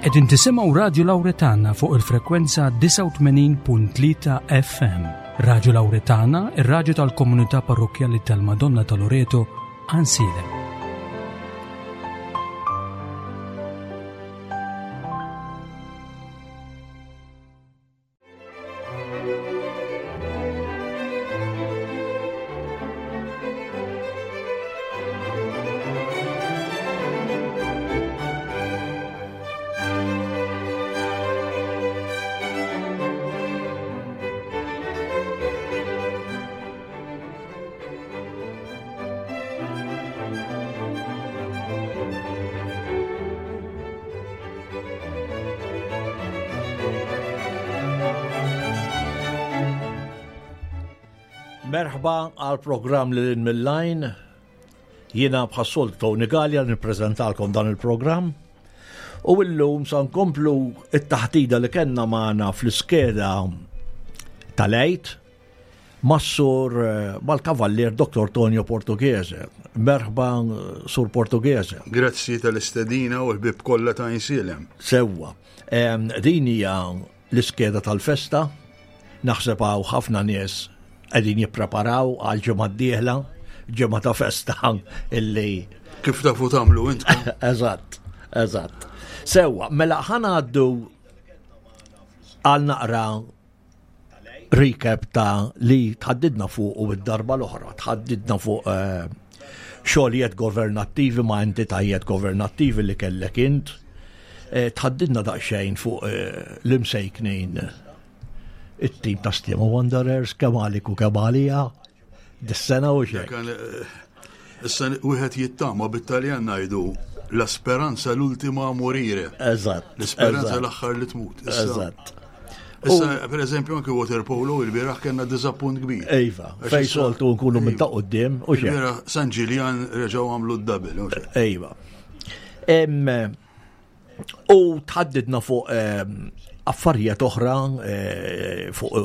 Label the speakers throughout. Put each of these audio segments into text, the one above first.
Speaker 1: Qegħdin tisimgħu Radju Lawretana fuq il-frekwenza 89.3 FM. Radju Lawretana, ir-radju tal-komunità parrokkjali tal-Madonna ta' Loreto, Għansielem.
Speaker 2: Merħba għal programm li l mill-lajn. Jiena bħassolt Tony Gallia nippreżentalkom dan il-programm. U illum sa nkomplu it-taħtida li kellna magħna fl-iskeda tal-għid mas-sur eh, mal-kavallier Dr. Tonio Portughese. Merħba Sur Portughese.
Speaker 3: Grazzi tal-istedina u l-bib kollha ta' insilem.
Speaker 2: Sewwa. Din hija l-iskeda tal-festa. Naħseb hawn ħafna nies qegħdin jippreparaw għal ġimgħa d-dieħla, ġimgħa ta' festa illi
Speaker 3: Kif tafu tagħmlu intkom?
Speaker 2: Eżatt, eżatt. Sewwa, mela ħanaddu għal naqra recap ta' li tħaddidna fuq u id-darba l-oħra, tħaddidna fuq eh, xogħlijiet governattivi ma' entitajiet governattivi li kellek int, eh, tħaddidna daqsxejn fuq eh, l-imsejknin it-tim ta' Stima Wanderers, kemm għalik u kemm għalija, dis-sena u xejn.
Speaker 3: Issa wieħed jittama bit-Taljan ngħidu la speranza l-ultima a morire.
Speaker 2: Eżatt.
Speaker 3: L-isperanza l-aħħar li tmut.
Speaker 2: Eżatt.
Speaker 3: Issa, per eżempju, anke water polo il-bieraħ kellna diżappunt kbir.
Speaker 2: Iva, fej soltu nkunu minn ta' qudiem
Speaker 3: u xejn. Il-bieraħ San Ġiljan reġgħu għamlu d-double.
Speaker 2: Iva. U tħaddidna fuq ehm, affarijiet oħra eh, fuq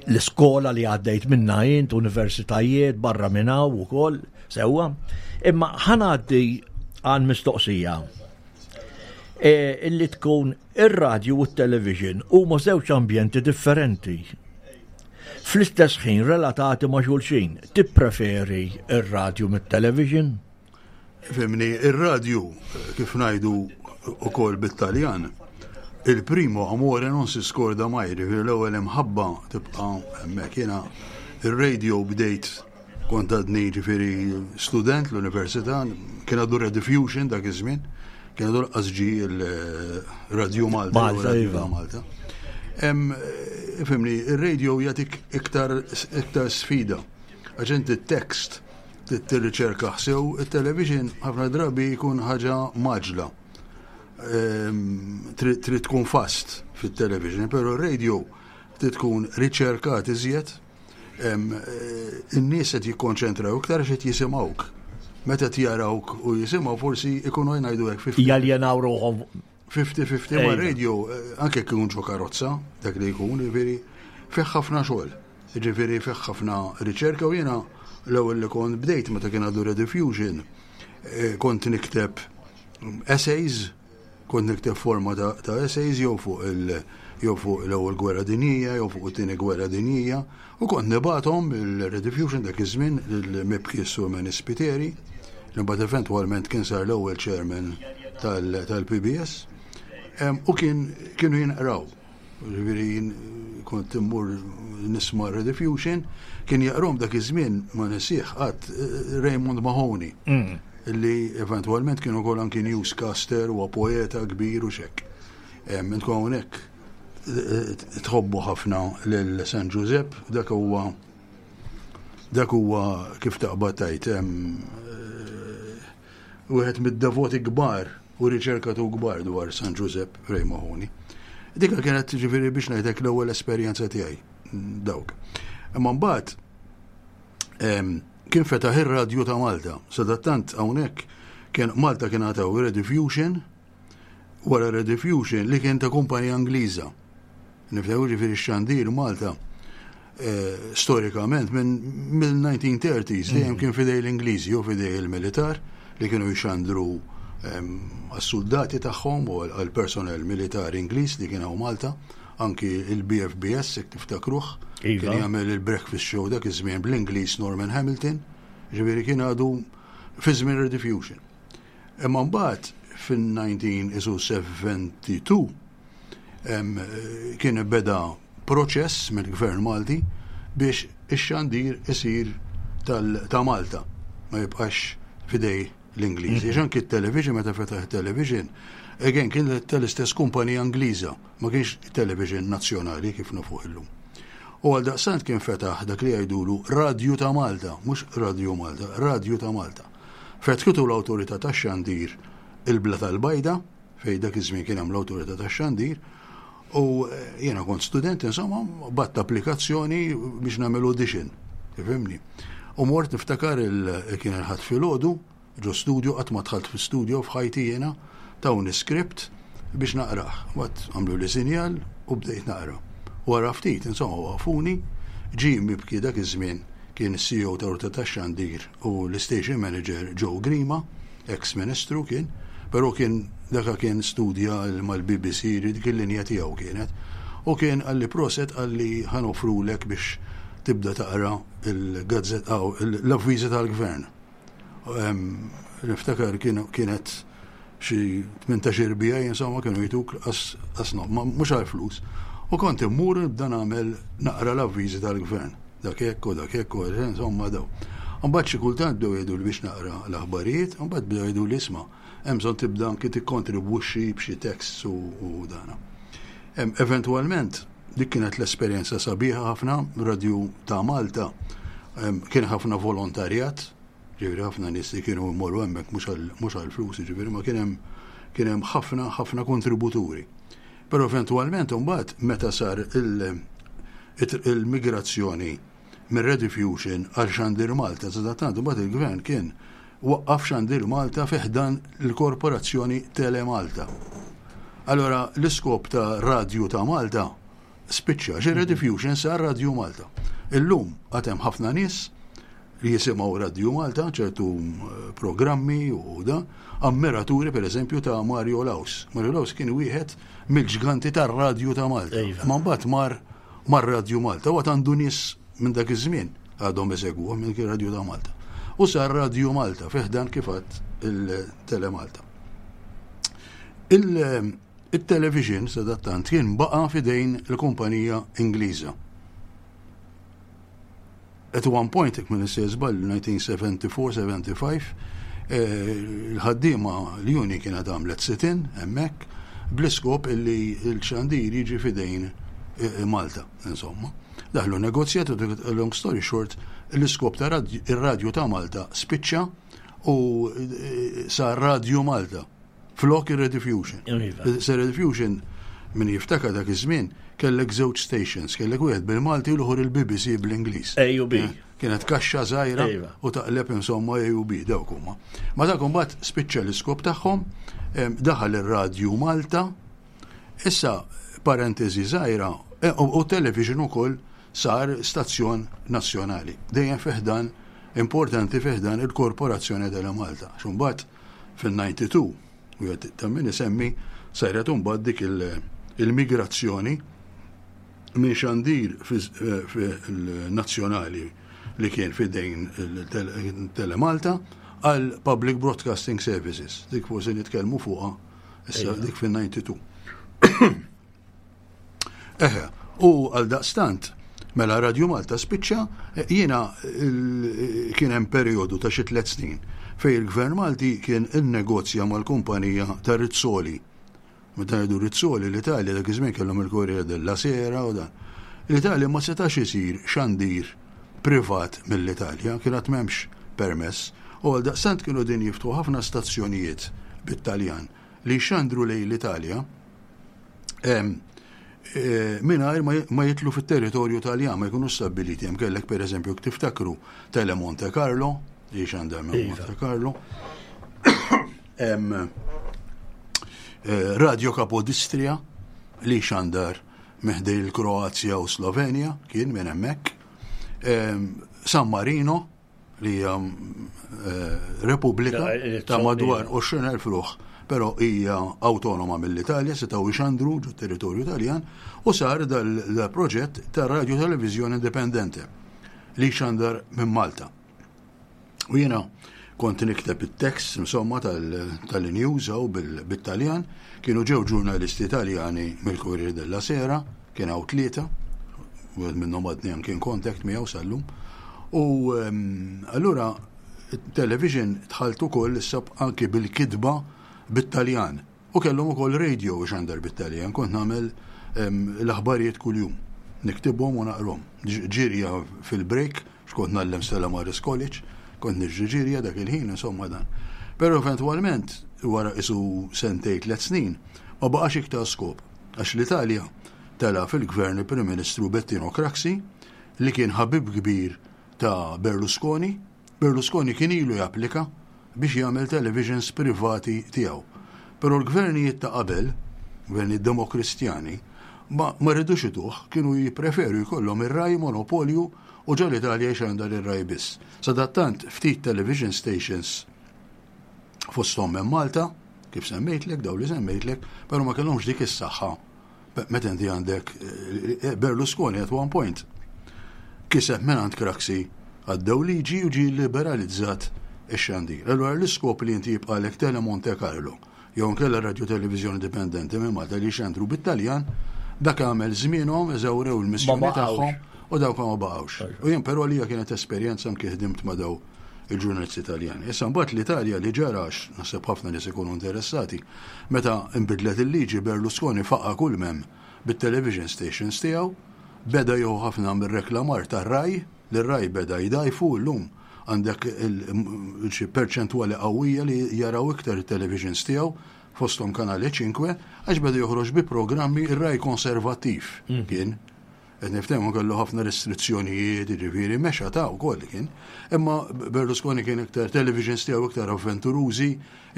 Speaker 2: l-iskola li għaddejt minna int, universitajiet, barra minn hawn ukoll, sewwa. Imma ħanaddi għal mistoqsija e, illi tkun ir-radju u t-television huma żewġ ambjenti differenti. Fl-istess ħin relatati ma' xulxin, tippreferi ir-radju mit-television?
Speaker 3: Fimni, ir-radju, kif ngħidu ukoll bit-Taljan, il-primo amore non si scorda mai, jiġifieri l-ewwel imħabba tibqa' hemmhekk. Jiena ir-radio bdejt kont għadni ġifieri student l-università, kien għadu Rediffusion dak iż-żmien, kien għadu lanqas ġie il-Radio Malta.
Speaker 2: Malta, iva.
Speaker 3: Malta. Fimni, ir-radio jagħtik iktar iktar sfida. Għax inti t-tekst Trid tirriċerkah sew, it-television ħafna drabi jkun ħaġa mgħaġġla. Ehm, trid tkun fast fit-television, però r-radio trid tkun riċerkat iżjed. Ehm, eh, in-nies qed jikkonċentraw iktar għax qed jisimgħuk. Meta jarawk u jisimgħu forsi ikunu jgħidu hekk.
Speaker 2: Jaljenaw ruħhom
Speaker 3: 50-50 ma' radio, eh, anke jekk ikun ġo karozza, dak li jkun, jiġifieri fih ħafna xogħol. Jiġifieri fih ħafna riċerka u jiena l-ewwel li kont bdejt meta kien għadu Rediffusion, eh, kont nikteb essays, kont nikteb forma ta', ta essays jew fuq il jew fuq l-ewwel gwerra dinjija, jew fuq it-tieni gwerra dinjija, u kont nibgħathom il-Rediffusion dak iż-żmien lil-Mibki Sur Manny Spiteri, li mbagħad eventwalment kien sar l-ewwel chairman tal-PBS, u kien kienu jinqraw. Ġifieri jien kont immur nisma' Rediffusion, kien jaqrom dak iż-żmien ma nesih qatt eh, Raymond Mahoney. Mm. Li eventwalment kien ukoll anki newscaster u poeta kbir u xekk. Intkom hawnhekk eh, tħobbu ħafna lil San Ġużepp, dak huwa Dak huwa kif taqbad tgħid eh, wieħed mid-devoti kbar u riċerkatur kbar dwar San Ġużepp Ray Mahoney. Dika kienet ġifieri biex ngħidlek l-ewwel esperjenza tiegħi dawk. Imma mbagħad kien fetaħ ir-radju ta' Malta. Sadattant hawnhekk kien Malta kien għataw Rediffusion wara Rediffusion li kien ta' kumpanija Ingliża. Niftakru ġifieri x-xandir Malta eh, storikament minn mill-1930s dejjem mm. kien fidej l-Ingliżi jew fidej il-militar li kienu jxandru għas-suldati tagħhom u għall-personnel militari Ingliż li kien hawn Malta, anki il-BFBS jekk tiftakruh,
Speaker 2: Iva.
Speaker 3: kien jagħmel il-breakfast show dak iż-żmien bl-Ingliż Norman Hamilton, ġifieri kien għadu fi żmien Rediffusion. Imma mbagħad fin-1972 kien beda proċess mill-Gvern Malti biex ix-xandir isir ta' Malta, ma jibqax fidej l-Ingliżi. Għax anki t-television, meta fetaħ television, again kien tal-istess kumpanija Ingliża, ma kienx television nazzjonali kif nafuh illum. U għal daqstant kien fetaħ dak li jgħidulu Radju ta' Malta, mhux Radju Malta, Radju ta' Malta. Fetħitu l-awtorità tax-xandir il-Bla tal-Bajda, fej dak iż-żmien kien hemm l-awtorità tax-xandir, u jiena kont student, insomma, bgħatt applikazzjoni biex nagħmel audition, tifhimni. U mort niftakar kien il-Ħadd filgħodu, ġo studio, qatt ma dħalt fi studio f'ħajti jiena, tawni script biex naqrah. Mbagħad għamlu li sinjal u bdejt naqra. Wara ftit, insomma, waqfuni, ġie mibki dak iż-żmien kien is-CEO ta' Awtorità tax-Xandir u l-station manager Joe Grima, ex-ministru kien, però kien daka kien studja mal-BBC, dik il-linja tiegħu kienet. U kien qalli proset, qalli ħa noffrulek biex tibda taqra il-gazzetta, l-avviżi tal-gvern. Niftakar kienet xi 18 bija, insomma, kienu jtuk asno, mhux għal flus. U kont immur nibda nagħmel naqra l-avviżi tal-gvern. Dak hekk u dak hekk u insomma daw. Mbagħad xi kultant bdew jgħidu li biex naqra l-aħbarijiet, mbagħad bdew jgħidu li isma' hemm bżonn tibda anki tikkontribwixxi b'xi tekst u dana. Eventwalment dik kienet l-esperjenza sabiħa ħafna, Radju ta' Malta kien ħafna volontarjat, ġifieri ħafna nies li kienu jmorru hemmhekk mhux għall-flus, ġifieri ma kien hemm kien hemm ħafna ħafna kontributuri. Però eventwalment imbagħad meta sar il-migrazzjoni minn Rediffusion għal Xandir Malta, sadattant imbagħad il-gvern kien waqqaf Xandir Malta fi ħdan l-korporazzjoni Telemalta. Allora l-iskop ta' Radju ta' Malta spiċċa, xi Rediffusion sar Radju Malta. Illum għad hemm ħafna nies li jisimgħu Radju Malta, ċertu programmi u da, ammiraturi per eżempju ta' Mario Laus. Mario Laus kien wieħed mill-ġganti tar-Radju ta' Malta. Ma mbagħad mar mar Radju Malta, u għad għandu nies minn dak iż-żmien għadhom isegwuh minn kien Radju ta' Malta. U sar Radju Malta fi ħdan kif għad il-Telemalta. Il-television sadattant kien baqa' fidejn il-kumpanija Ingliża. At one point, jekk minn issejjer żball, 1974-75, il-ħaddiema l-union kienet għamlet sit-in hemmhekk bl-iskop illi l-xandir jiġi fidejn Malta, insomma. Daħlu negozjat u long story short, l-iskop ta' ir-radju ta' Malta spiċċa u sar Radju Malta flok ir-Rediffusion. Se Rediffusion min jiftakar dak iż-żmien kellek żewġ stations, kellek wieħed bil-Malti u l-ieħor il-BBC bl-Ingliż.
Speaker 2: A u B.
Speaker 3: Kienet kaxxa żgħira u taqleb insomma A u B dawk huma. Ma dak imbagħad spiċċa l-iskop tagħhom, daħal ir-Radju Malta. Issa parentesi żgħira u television ukoll sar stazzjon nazzjonali. Dejjem fi ħdan importanti fi ħdan il-Korporazzjoni Telemalta. X'imbagħad fil-92 u ta' min isemmi saret imbagħad dik il-migrazzjoni minn xandir nazzjonali li kien fidejn Telemalta għal Public Broadcasting Services. Dik forsi nitkellmu fuqha issa dik fil-92. Eħe, u għal daqstant, mela Radio Malta spiċċa, jiena kien hemm perjodu ta' xi 3 snin fej il-Gvern Malti kien innegozja mal-kumpanija ta' Rizzoli. Meta ngħidu Rizzoli, l-Italja dak iż-żmien kellhom il-Corriere della Sera u dan. L-Italja ma setax isir xandir privat mill-Italja, kien għad m'hemmx permess, u għal daqstant kienu din jiftħu ħafna stazzjonijiet bit-Taljan li xandru lejn l-Italja mingħajr ma jitlu fit-territorju Taljan, ma jkunu stabbiliti. Hemm kellek pereżempju tiftakru Tele Monte Carlo, li xandar minn Monte Carlo. Radio Capodistria li xandar meħdej il-Kroazja u Slovenja, kien minn hemmhekk. San Marino. li hija eh, repubblika ta' madwar 20,000 ruħ, però hija awtonoma mill-Italja, setgħu jxandru ġo territorju Taljan u sar dal-proġett ta' radio televizjoni indipendente li xandar minn Malta. U jiena kont nikteb it-tekst insomma tal-news hawn bit-Taljan, kienu ġew ġurnalisti Taljani mill-Corriere della Sera, kien hawn tlieta, wieħed minnhom għadni anke in contact miegħu sal-lum. U ehm, allura television dħalt ukoll issa anki bil-kitba bit-Taljan. U kellhom ukoll radio ixandar bit-Taljan, kont nagħmel l-aħbarijiet kuljum. Niktibhom u naqrhom. Ġirja fil-break, x'kont ngħallem Stella Maris College, kont niġri ġirja dak il-ħin, insomma dan. Però eventwalment, wara isu sentej tlet snin, ma baqax iktar skop. Għax l-Italja tela fil-gvern il-Prim Ministru Bettino Craxi, li kien ħabib kbir ta' Berlusconi. Berlusconi kien ilu japplika biex jagħmel televisions privati tiegħu. Però l-gvernijiet ta' qabel, gvernijiet demokristjani, ma, ma ridux ituh, kienu jippreferu jkollhom ir-Rai monopolju u ġo l-Italja jxandar ir-Rai biss. Sadattant ftit television stations fosthom minn Malta, kif semmejtlek, daw li semmejtlek, però ma kellhomx dik is-saħħa Meta inti għandek eh, eh, Berlusconi at one point kiseb minn Craxi għaddew liġi u ġie liberalizzat ix-xandir. Allura l-iskop li inti jibqalek Tele Monte Carlo jew nkella radio televizjoni dipendenti minn Malta li xandru bit-Taljan, dak għamel żmienhom eżawrew il-missjoni tagħhom u dawk ma baqgħux. U jien però li kienet esperjenza anke ħdimt ma' daw il-ġurnalisti Taljani. Issa mbagħad l-Italja li ġara għax naħseb ħafna nies ikunu interessati, meta nbidlet il-liġi Berlusconi faqa' kull m'hemm bit-television stations tiegħu, beda jieħu ħafna mir-reklamar tar-Rai, li r-Rai beda jdgħajfu llum għandek xi perċentwali qawwija li jaraw iktar it-televisions tiegħu fosthom Canale 5 għax beda joħroġ bi programmi r-Rai konservattiv kien. Qed niftehmu kellu ħafna restrizzjonijiet, jiġifieri mexa ta' wkoll kien. Imma Berlusconi kien iktar televisions tiegħu iktar avventurużi,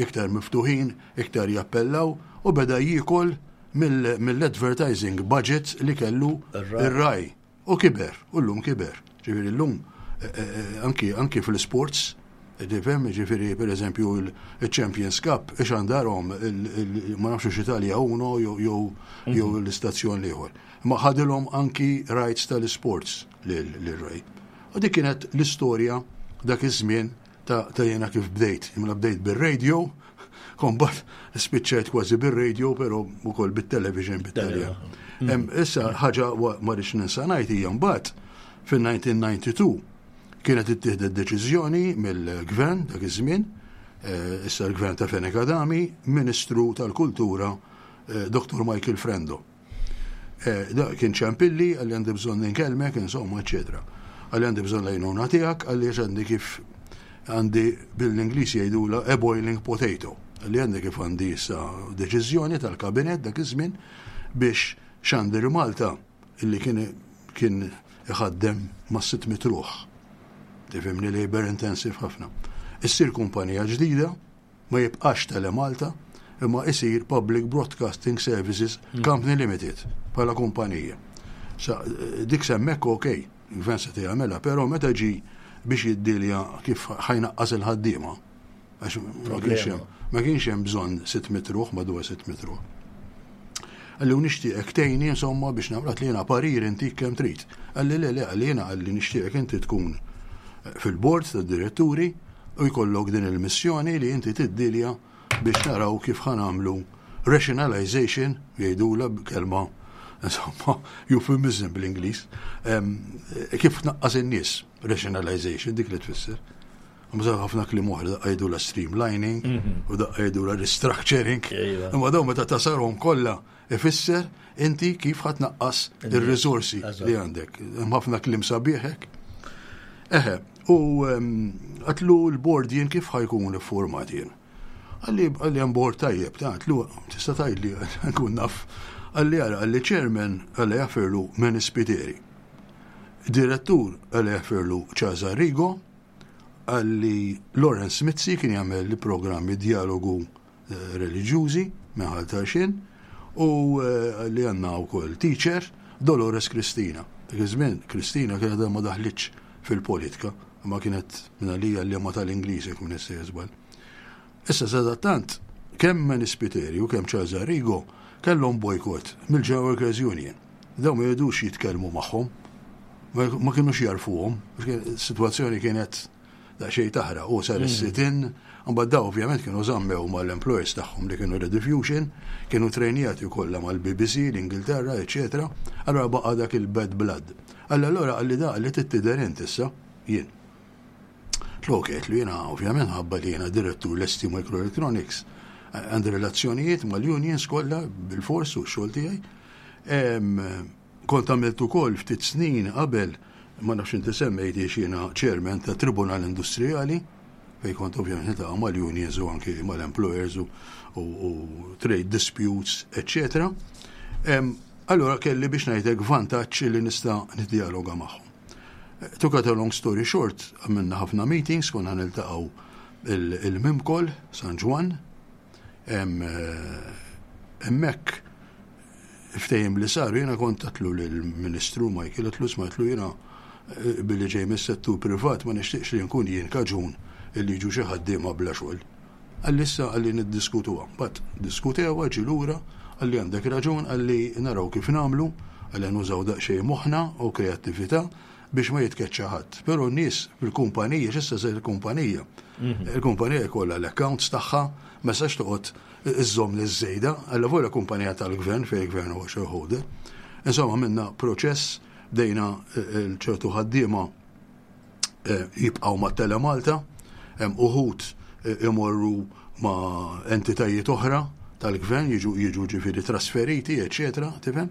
Speaker 3: iktar miftuħin, iktar jappellaw u beda jiekol mill-advertising budget li kellu ir-Rai. U kiber, u llum kiber. Ġifieri llum eh, eh, eh, anki, anki fl-sports, tifhem, ġifieri per eżempju il-Champions Cup, ixandarhom ma nafx Italia Uno jew mhm. l-istazzjon l-ieħor. Imma ħadilhom anki rights tal-isports lil-Rai. U dik kienet l-istorja dak iż-żmien ta' ta' jiena kif bdejt. Imma bdejt bir-radio, kombat spiċċajt kważi bir-radio, però wkoll bit-television bit-Taljan. Mm. Issa ħaġa ma rridx ninsa ngħid hija mbagħad fil-1992 kienet ittieħdet deċiżjoni mill-gvern dak iż-żmien, eh, issa l-gvern ta' Fenech Adami, Ministru tal-Kultura eh, Dr. Michael Frendo. Eh, da kien ċempilli, għalli għandi bżonn inkellmek, insomma, eccetera. Għalli għandi bżonn lajnuna tiegħek, għalli għax għandi kif għandi bil-Ingliż jgħidula a boiling potato. Għalli għandi kif għandi issa deċiżjoni tal-kabinet dak iż-żmien biex Xandir Malta illi kien kien iħaddem ma' 600 ruħ. Tifhimni labor intensive ħafna. Issir kumpanija ġdida ma jibqax Telemalta imma isir Public Broadcasting Services hmm. Company Limited bħala kumpanija. Sa, eh, dik semmek ok, il-gvern se jagħmilha, però meta ġi biex jiddilja kif ħajnaqqas il-ħaddiema, għax ma kienx hemm ma kienx hemm bżonn 600 ruħ madwar 600 ruħ. Għalli u nixtieqek tgħinni insomma biex nagħmel li jiena parir intik kemm trid. Għalli le le għalli jiena għalli nixtieqek inti tkun fil-bord tad-diretturi u jkollok din il-missjoni li inti tiddilja biex naraw kif ħa nagħmlu rationalization, jgħidula b'kelma insomma euphemism bl-Ingliż, kif tnaqqas in-nies, rationalization dik li tfisser. Mżaw ħafna kliem oħra daqqa jgħidula streamlining mhm. u daqqa jgħidula restructuring. Iva. Imma dawn meta tasarhom kollha Ifisser inti kif ħa tnaqqas ir-riżorsi li għandek. Hemm ħafna kliem sabiħ hekk. Eħe, u għatlu l-bord jien kif ħajkun iffurmat jien. Għalli għalli hemm bord tajjeb, ta' għatlu tista' tgħidli nkun naf. Għalli għara, għalli chairman għalli jaffirlu Manny Spiteri. Direttur għalli jaffirlu Charles Arrigo, għalli Lawrence Mizzi kien jagħmel il-programmi dialogu reliġjużi minn Ħal Tarxien u eh, li għandna wkoll teacher Dolores Kristina. Dak iż-żmien Kristina kienet ma daħlitx fil-politika. Imma kienet minn għalija l-liema tal-Ingliż jekk minn issejjer żball. Issa sadattant kemm Manny Spiteri u kemm Charles Arrigo kellhom bojkott mill-General Workers Union. Dawn ma jridux jitkellmu magħhom. Ma kinux jarfuhom. Is-sitwazzjoni kienet daqsxejn taħraq u sar is-sit-in, imbagħad daw ovvjament kienu żammew mal-employers tagħhom li kienu Rediffusion, kienu trejnjati kollha mal-BBC, l-Ingilterra, eċetera. Allura baqa' dak il-bad blood. Alla allura qalli da qalli trid tidher int issa, jien. Tlu ok, għedtlu jiena ovvjament ħabba li jiena direttur l-ST Microelectronics, għandi relazzjonijiet mal-unions kollha bil-fors u x-xogħol tiegħi. Kont għamilt ukoll ftit snin qabel, ma nafx inti semmejtiex jiena chairman ta' Tribunal Industrijali, fejn kont ovvjament niltaqa' mal-unions u anki mal-employers u, u, u trade disputes, eccetera. Allura kelli biex ngħidlek vantaġġ li nista' niddialoga magħhom. To cut a long story short, għamilna ħafna meetings, konna niltaqgħu il-Mimkol, San Ġwann, hemmhekk ftehim li saru jiena kont għatlu lill-Ministru Michael għatlu isma' għatlu jiena eh, billi ġej mis-settur privat ma nixtieqx li nkun jien kaġun illi jiġu xi ħaddiema bla xogħol. Qalli issa qalli niddiskutuha. Mbagħad diskutewha ġie lura, qalli għandek raġun, qalli naraw kif nagħmlu, qalli nużaw daqsxejn moħħna u kreattività biex ma jitkeċċa ħadd. Però n-nies fil-kumpanija, x'issa se il-kumpanija? Mhm. Il-kumpanija jkollha l-accounts tagħha, ma sax toqgħod iżżomm nies żejda, allavolja kumpanija tal-gvern fejn il-gvern huwa shareholder. Insomma, għamilna proċess, bdejna ċertu ħaddiema jibqgħu ma' Telemalta, hemm uħud imorru ma' entitajiet oħra tal-gvern jiġu jiġu ġifieri trasferiti, eċetera, tifhem?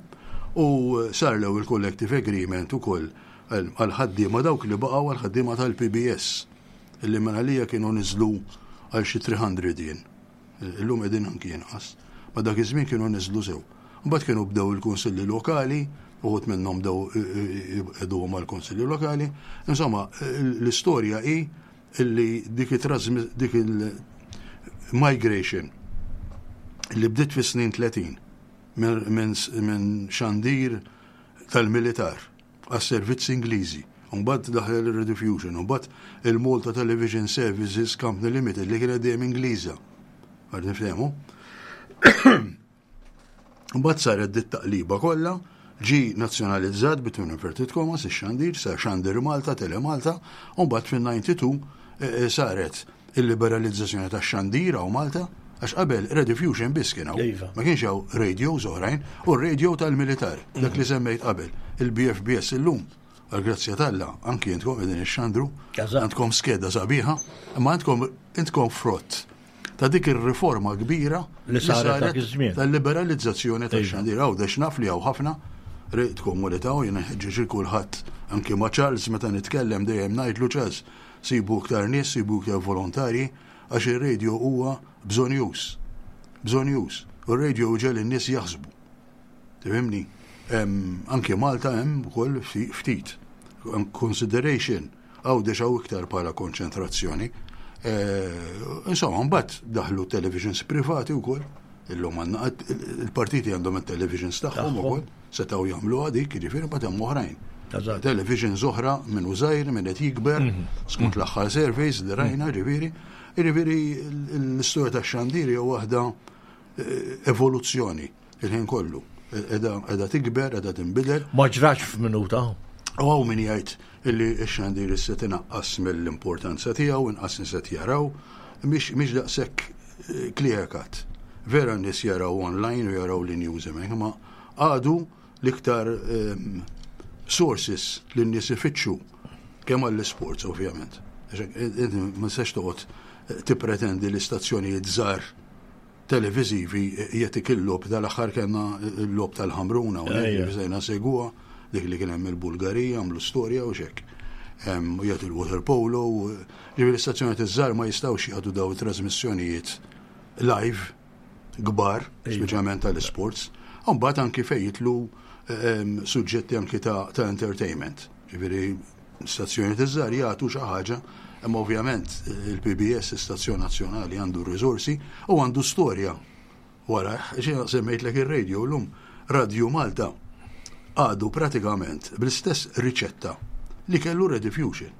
Speaker 3: U sar l-ewwel collective agreement ukoll għal ħaddiema dawk li baqgħu għal ħaddiema tal-PBS illi minn għalija kienu niżlu għal xi 300 jien. Illum qegħdin anki inqas. Ma dak iż-żmien kienu niżlu sew. Mbagħad kienu bdew il-kunsilli lokali, uħud minnhom bdew iqiegħduhom mal-kunsilli lokali. Insomma, l-istorja hi illi dik dik il-migration li bdiet fis-snin 30 minn xandir tal-militar għas-servizzi Ingliżi. Mbagħad daħlet il-Rediffusion, mbagħad il-Malta Television Services Company Limited li kienet dejjem Ingliża. Għad niftehmu. Mbagħad saret dit taqliba kollha, ġi nazzjonalizzat between inverted commas ix-xandir, sar xandir Malta, Tele Malta, u mbagħad fin-92 eh, eh, saret il-liberalizzazzjoni tax-xandir hawn Malta, għax qabel Rediffusion biss kien hawn.
Speaker 2: Iva.
Speaker 3: Ma kienx hawn radios oħrajn, u r-radio tal-militar, dak li semmejt qabel, il-BFBS illum. Għal-grazzja t'Alla, anki intkom qegħdin ixxandru, għandkom skeda sabiħa, imma għandkom intkom frott ta' dik ir-riforma kbira
Speaker 2: li saret dak iż-żmien
Speaker 3: tal-liberalizzazzjoni tax-xandir. Għawdex naf li hawn ħafna rrid komunità u jiena nħeġġeġ il kulħadd anki ma' Charles meta nitkellem dejjem ngħidlu Charles sibu iktar nies, sibu iktar volontarji għax ir-radio huwa bżonjuż. Bżonjuż. U r-radio jġegħel in-nies jaħsbu. Tifhimni? Anki Malta hemm ukoll ftit. Consideration Għawdex hawn iktar bħala konċentrazzjoni. Eh, insomma, mbagħad daħlu televisions privati wkoll. Illum għandna il-partiti għandhom it-televisions tagħhom ukoll, setgħu jagħmlu dik, jiġifieri mbagħad hemm oħrajn. Televisions oħra minn użajr, minn qed jikber, mhm. skont mhm. l-aħħar surveys li rajna, mhm. ġifieri. Jiġifieri l-istorja tax-xandir hija waħda eh, evoluzzjoni il-ħin kollu. Edha tikber, edha tinbidel.
Speaker 2: Ma ġrax f'minuta.
Speaker 3: U hawn min jgħid illi x-xandir issa tinaqqas mill-importanza tiegħu, inqas nies qed jaraw, mhix daqshekk eh, clear cut. Vera n-nies jaraw online u jaraw l-news hemmhekk, ma għadu l-iktar ehm, sources li n-nies ifittxu kemm għall-sports ovvjament. Ma tistax toqgħod eh, tippretendi l-istazzjonijiet żgħar televiżivi jagħtik il-logħob dal-aħħar kellna l-logħob tal-Ħamrun hawnhekk li sejna segwa dik li kien hemm il-Bulgarija għamlu storja u xek. U jagħti l-water polo, ġifieri l-istazzjonijiet iż-żgħar ma jistgħux jagħtu daw it-trasmissjonijiet live kbar, speċjalment tal-isports. Mbagħad anki fejn jitlu suġġetti anki ta' entertainment. Ġifieri Stazzjonijiet iż-żgħar jagħtu xi ħaġa, imma ovvjament il-PBS, istazzjon nazzjonali, għandu r-riżorsi u għandu storja warajh. Jiena semmejtlek ir-radio llum, Radju Malta għadu pratikament bl-istess riċetta. li kellu Rediffusion.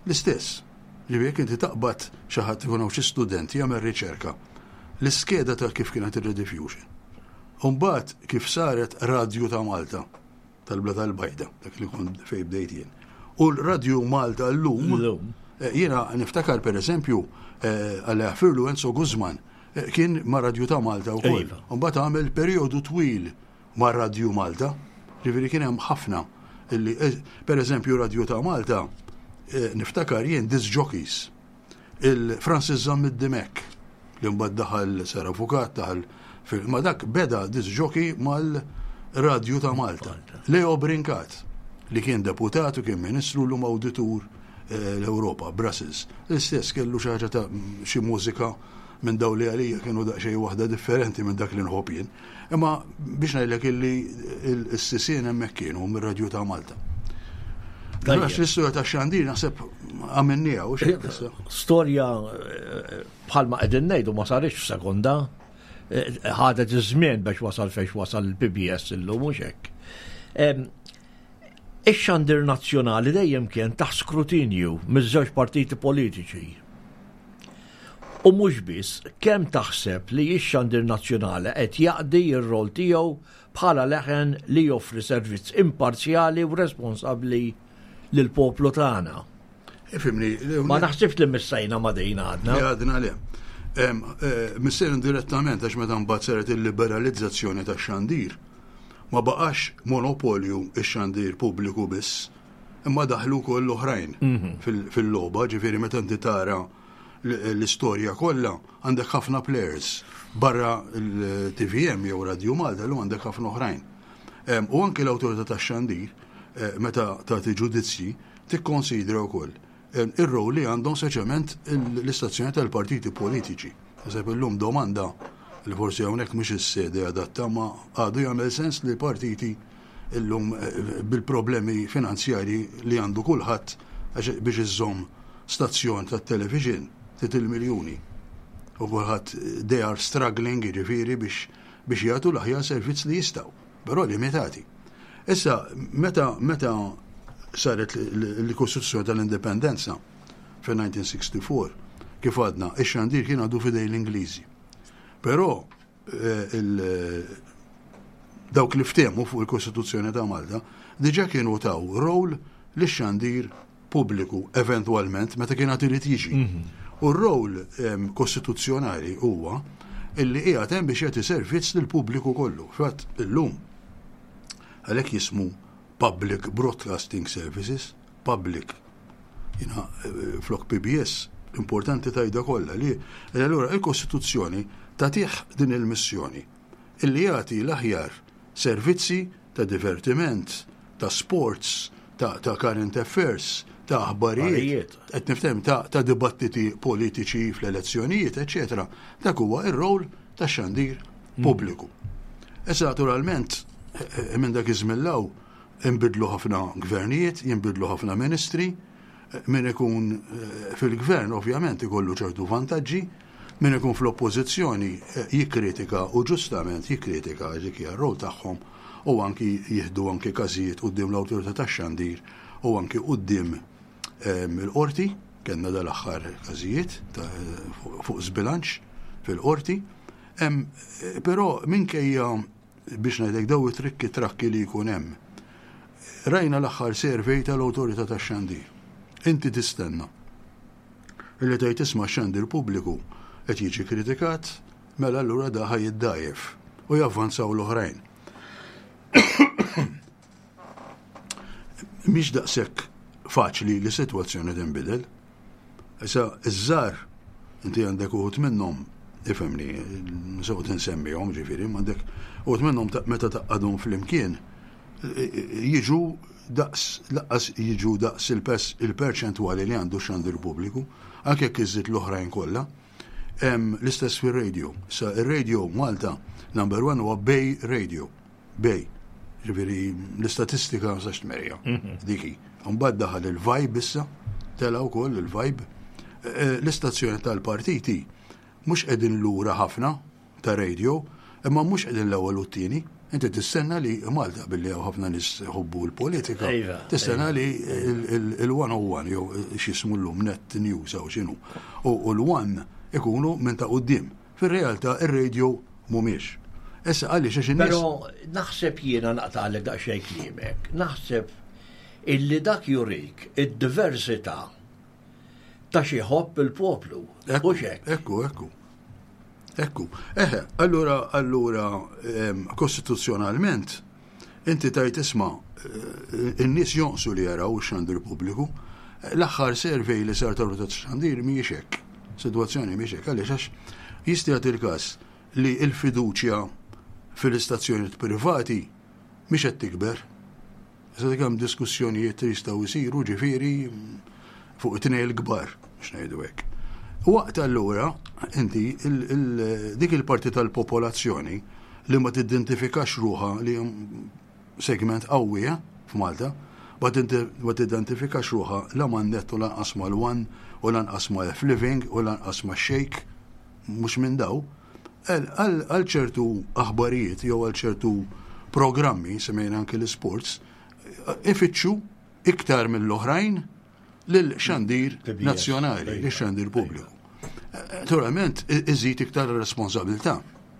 Speaker 3: L-istess. Ġifieri jekk inti taqbad xi ħadd ikun hawn xi student jagħmel riċerka l-iskeda ta' kif kienet ir-Rediffusion. U mbagħad kif saret Radju ta' Malta tal-Blata l-Bajda, dak li kont fejn bdejt jien. U l-Radju Malta llum, jiena niftakar pereżempju Alla jaħfirlu Enzo Guzman kien ma' Radju ta' Malta wkoll. U mbagħad għamel perjodu twil ma' Radju Malta. Ġifieri kien hemm ħafna illi pereżempju Radju ta' Malta niftakar jien disc jockeys. Il-Francis Zammit Dimech li mbagħad daħal sar avukat, daħal fil ma dak beda disc jockey mal-Radju ta' Malta. Leo Brincat li kien deputat u kien ministru llum awditur l-Ewropa, Brussels. L-istess kellu xi ħaġa ta' xi mużika minn daw li għalija kienu daqsxejn waħda differenti minn dak li nħobb jien. Imma biex ngħidlek illi s-sisien hemmhekk kienu mir-Radju ta' Malta. Għax l-istorja ta' xandir naħseb għamilniha u xejn.
Speaker 2: Storja bħalma qegħdin ngħidu ma saritx f'sekonda. Ħadet iż-żmien biex wasal fejn wasal il-PBS illum mhux hekk. Ix-xandir nazzjonali dejjem kien taħt skrutinju miż-żewġ partiti politiċi. U mhux biss, kemm taħseb li x-xandir nazzjonali qed jaqdi r-rol tiegħu bħala leħen li joffri servizz imparzjali u responsabbli lill-poplu tagħna?
Speaker 3: Ifhimni,
Speaker 2: Ma naħsibx li missejna ma' din għadna.
Speaker 3: Li għadna le. Missejna direttament għax meta mbagħad saret il-liberalizzazzjoni tax-xandir, ma baqax monopolju x-xandir pubbliku biss, imma daħlu wkoll l-oħrajn fil-logħba, ġifieri meta inti tara l-istorja kollha għandek ħafna players barra l-TVM jew Radio Malta llum għandek ħafna oħrajn. U anki l-awtorità tax-xandir meta tagħti ġudizzji tikkonsidra wkoll ir-rol li għandhom speċjalment l-istazzjoni tal-partiti politiċi. Naħseb illum domanda li forsi hawnhekk mhix is-sede adatta ma għadu jagħmel sens li partiti illum bil-problemi finanzjarji li għandu kulħadd għax biex iżżomm stazzjon tat-television trid il-miljuni. U kulħadd they are struggling jiġifieri biex biex jagħtu l-aħjar servizz li jistgħu, però limitati. Issa meta meta saret l-Kostituzzjoni tal-Indipendenza fil-1964, kif għadna, ix-xandir kien għadu fidej l-Ingliżi. Però dawk li ftehmu fuq il-Kostituzzjoni ta' Malta diġà kienu taw rol lix-xandir pubbliku eventwalment meta kien għad irid jiġi. U r-rol kostituzzjonali huwa illi qiegħed hemm biex jagħti servizz lill-pubbliku kollu. Fatt illum għalhekk jismu Public Broadcasting Services, public. Jiena flok PBS, importanti tajda kollha li allura il-Kostituzzjoni tagħtih din il-missjoni illi jagħti l-aħjar servizzi ta' divertiment, ta' sports, ta', ta current affairs, ta' aħbarijiet, qed nifhem ta', ta' dibattiti politiċi fl-elezzjonijiet, eċetera. Dak huwa ir-rol ta' xandir pubbliku. Issa naturalment minn dak iż-żmien law inbidlu ħafna gvernijiet, jinbidlu ħafna ministri, min ikun fil-gvern ovvjament ikollu ċertu vantaġġi, min ikun fl-oppożizzjoni jikkritika u ġustament jikkritika dik hija r-rol tagħhom u anki jieħdu anki każijiet quddiem l-awtorità tax-xandir u anki quddiem il-qorti, kellna dal-aħħar każijiet fuq żbilanċ fil-qorti. Però minkejja biex ngħidlek daw it-trikki trakki li jkun hemm. Rajna l-aħħar survey tal-Awtorità tax-Xandir. Inti tistenna illi tgħid isma' x-xandir pubbliku qed jiġi kritikat, mela allura da ħa jiddgħajjef u javvanzaw l-oħrajn. Mhix daqshekk faċli li sitwazzjoni tinbidel. Issa, iż-żgħar, inti għandek uħud minnhom, ifhimni, mhux se noqgħod insemmihom ġifieri, imma għandek uħud minnhom meta tgħaqqadhom flimkien jiġu daqs laqqas jiġu daqs il-perċentwali li għandu x-xandir pubbliku, anke jekk iżżid l-oħrajn kollha. L-istess fir-radio. Issa, ir-radio Malta number one huwa Bay Radio. Bej. Ġifieri l-istatistika ma nistax tmerja. Mhm. Dik hi. Mbagħad daħal il-vibe issa, tela' wkoll il-vibe. Eh, eh, l-istazzjoni tal-partiti mhux qegħdin lura ħafna ta' radio, imma mhux qegħdin l-ewwel u t-tieni. Inti tistenna li Malta billi hawn ħafna nies jħobbu l-politika,
Speaker 2: iva,
Speaker 3: tistenna
Speaker 2: iva.
Speaker 3: li il-101 jew x'jismu llum Net News jew x'inhu. U l-One ikunu minn ta' quddiem. Fir-realtà ir-radio mhumiex. Issa għaliex għax in-nies.
Speaker 2: Però naħseb jiena naqtagħlek daqsxejn kliemek, naħseb illi dak jurik id-diversità ta' xi ħobb il-poplu.
Speaker 3: Ekku, ekku, ekku. Ekku. Eħe, allura, allura, kostituzzjonalment, inti tajt isma' eh, in-nies jonqsu li jaraw ix-xandir pubbliku. L-aħħar survey li sar tal xandir mhijiex hekk. Sitwazzjoni mhijiex hekk għaliex għax jista' jagħti l-każ li l-fiduċja fil-istazzjonijiet privati mhix qed tikber. Issa dik hemm diskussjonijiet li jistgħu jsiru ġifieri fuq it-tnejn il-kbar biex ngħidu hekk. Waqt allura inti dik il-parti tal-popolazzjoni li ma tidentifikax ruħha li segment qawwi eh, f'Malta, ma tidentifikax ruħha la man-net u lanqas mal-One u lanqas ma' F-Living u lanqas ma' Shake, mhux minn daw, Għal ċertu aħbarijiet jew għal ċertu programmi, semmejna anki l-isports, ifittxu iktar mill-oħrajn lil xandir nazzjonali, lil xandir pubbliku. Naturalment, iżid iktar responsabilità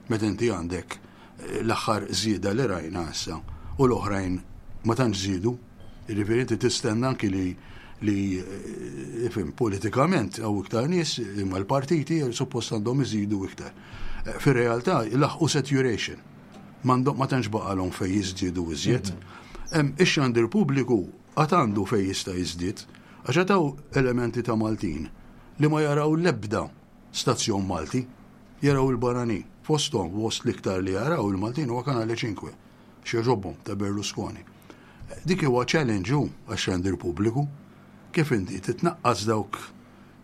Speaker 3: meta inti għandek eh, l-aħħar żieda li rajna issa u l-oħrajn ma tantx żiedu. Jiġifieri inti tistenna anki li li eh, ifhem politikament hawn iktar nies imma l-partiti suppost għandhom iżidu iktar. Eh, fir-realtà laħqu saturation. M'għandhom ma tantx baqalhom fejn jiżdiedu iżjed. Mhm. Ix-xandir pubbliku għad għandu fejn jista' jiżdied għax għad elementi ta' Maltin li ma jaraw l-ebda stazzjon Malti, jaraw il-barranin. Fosthom, fost l-iktar li jaraw il-Maltin huwa Kanale 5. X'jogħġobhom ta' Berlusconi. Dik huwa challenge hu għax-xandir pubbliku. Kif inti titnaqqas dawk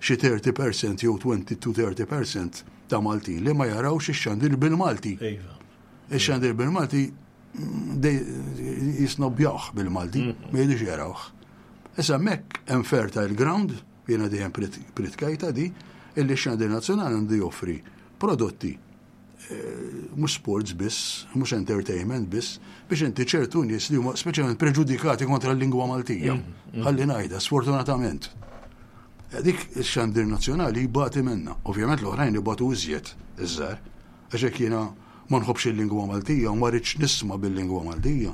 Speaker 3: xi 30% jew 20 to 30% ta' Maltin li ma jarawx ix-xandir bil-Malti.
Speaker 2: Iva.
Speaker 3: Ix-xandir bil-Malti mm, jisnobbjawh bil-Malti, mm. ma jidux jarawh. Issa hemmhekk hemm fertile ground, jiena dejjem pritkajta di, illi x-xandir nazzjonali għandu joffri prodotti mhux sports biss, mhux entertainment biss, biex inti ċertu nies li huma speċjalment preġudikati kontra l-lingwa Maltija. Mm, mm. Ħalli ngħidha, sfortunatament. Eh, dik ix-xandir nazzjonali jbati minna. Ovvjament l-oħrajn ibatu iżjed iż-żgħar. Għax hekk jiena ma nħobbx il-lingwa Maltija u ma rridx nisma' bil-lingwa Maltija.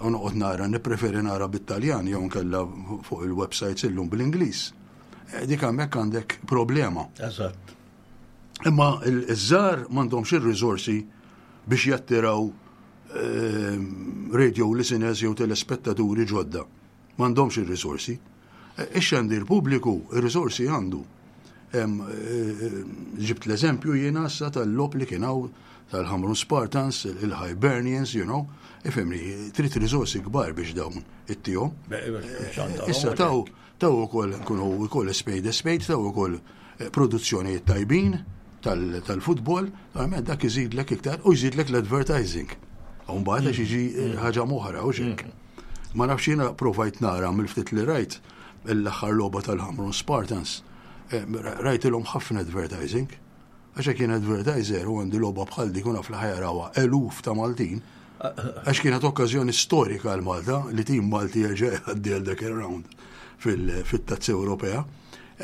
Speaker 3: U noqgħod nara, nippreferi nara bit-Taljan jew nkella fuq il-websites illum bl-Ingliż. Eh, dik hemmhekk għandek problema.
Speaker 2: Eżatt.
Speaker 3: Imma iż-żgħar m'għandhomx ir-riżorsi biex jattiraw ehm, radio listeners jew telespettaturi ġodda. M'għandhomx ir-riżorsi. E, ix-xandir pubbliku ir-riżorsi għandu. E, e, ġibt l-eżempju jiena issa tal-lop li kien hawn tal-Ħamrun Spartans, il-Hibernians, you know, ifimni, trid riżorsi kbar biex dawn it-tihom. Issa taw Taw ukoll nkunu wkoll spade a spade, taw ukoll eh, produzzjonijiet tajbin tal-futbol, naturalment dak iżidlek iktar u jżidlek l-advertising. U mbagħad għax jiġi eh, ħaġa moħra u xek. Mm. Ma nafx jiena provajt nara mill-ftit li rajt l-aħħar logħba tal-Ħamrun Spartans, eh, rajtilhom ħafna advertising. Għax jekk jien advertiser u għandi logħba bħal dik u naf li ħa jarawha eluf ta' Maltin, għax kienet okkażjoni storika għal Malta li tim Malti jerġa' jgħaddi għal dak ir-round fit-Tazza Ewropea.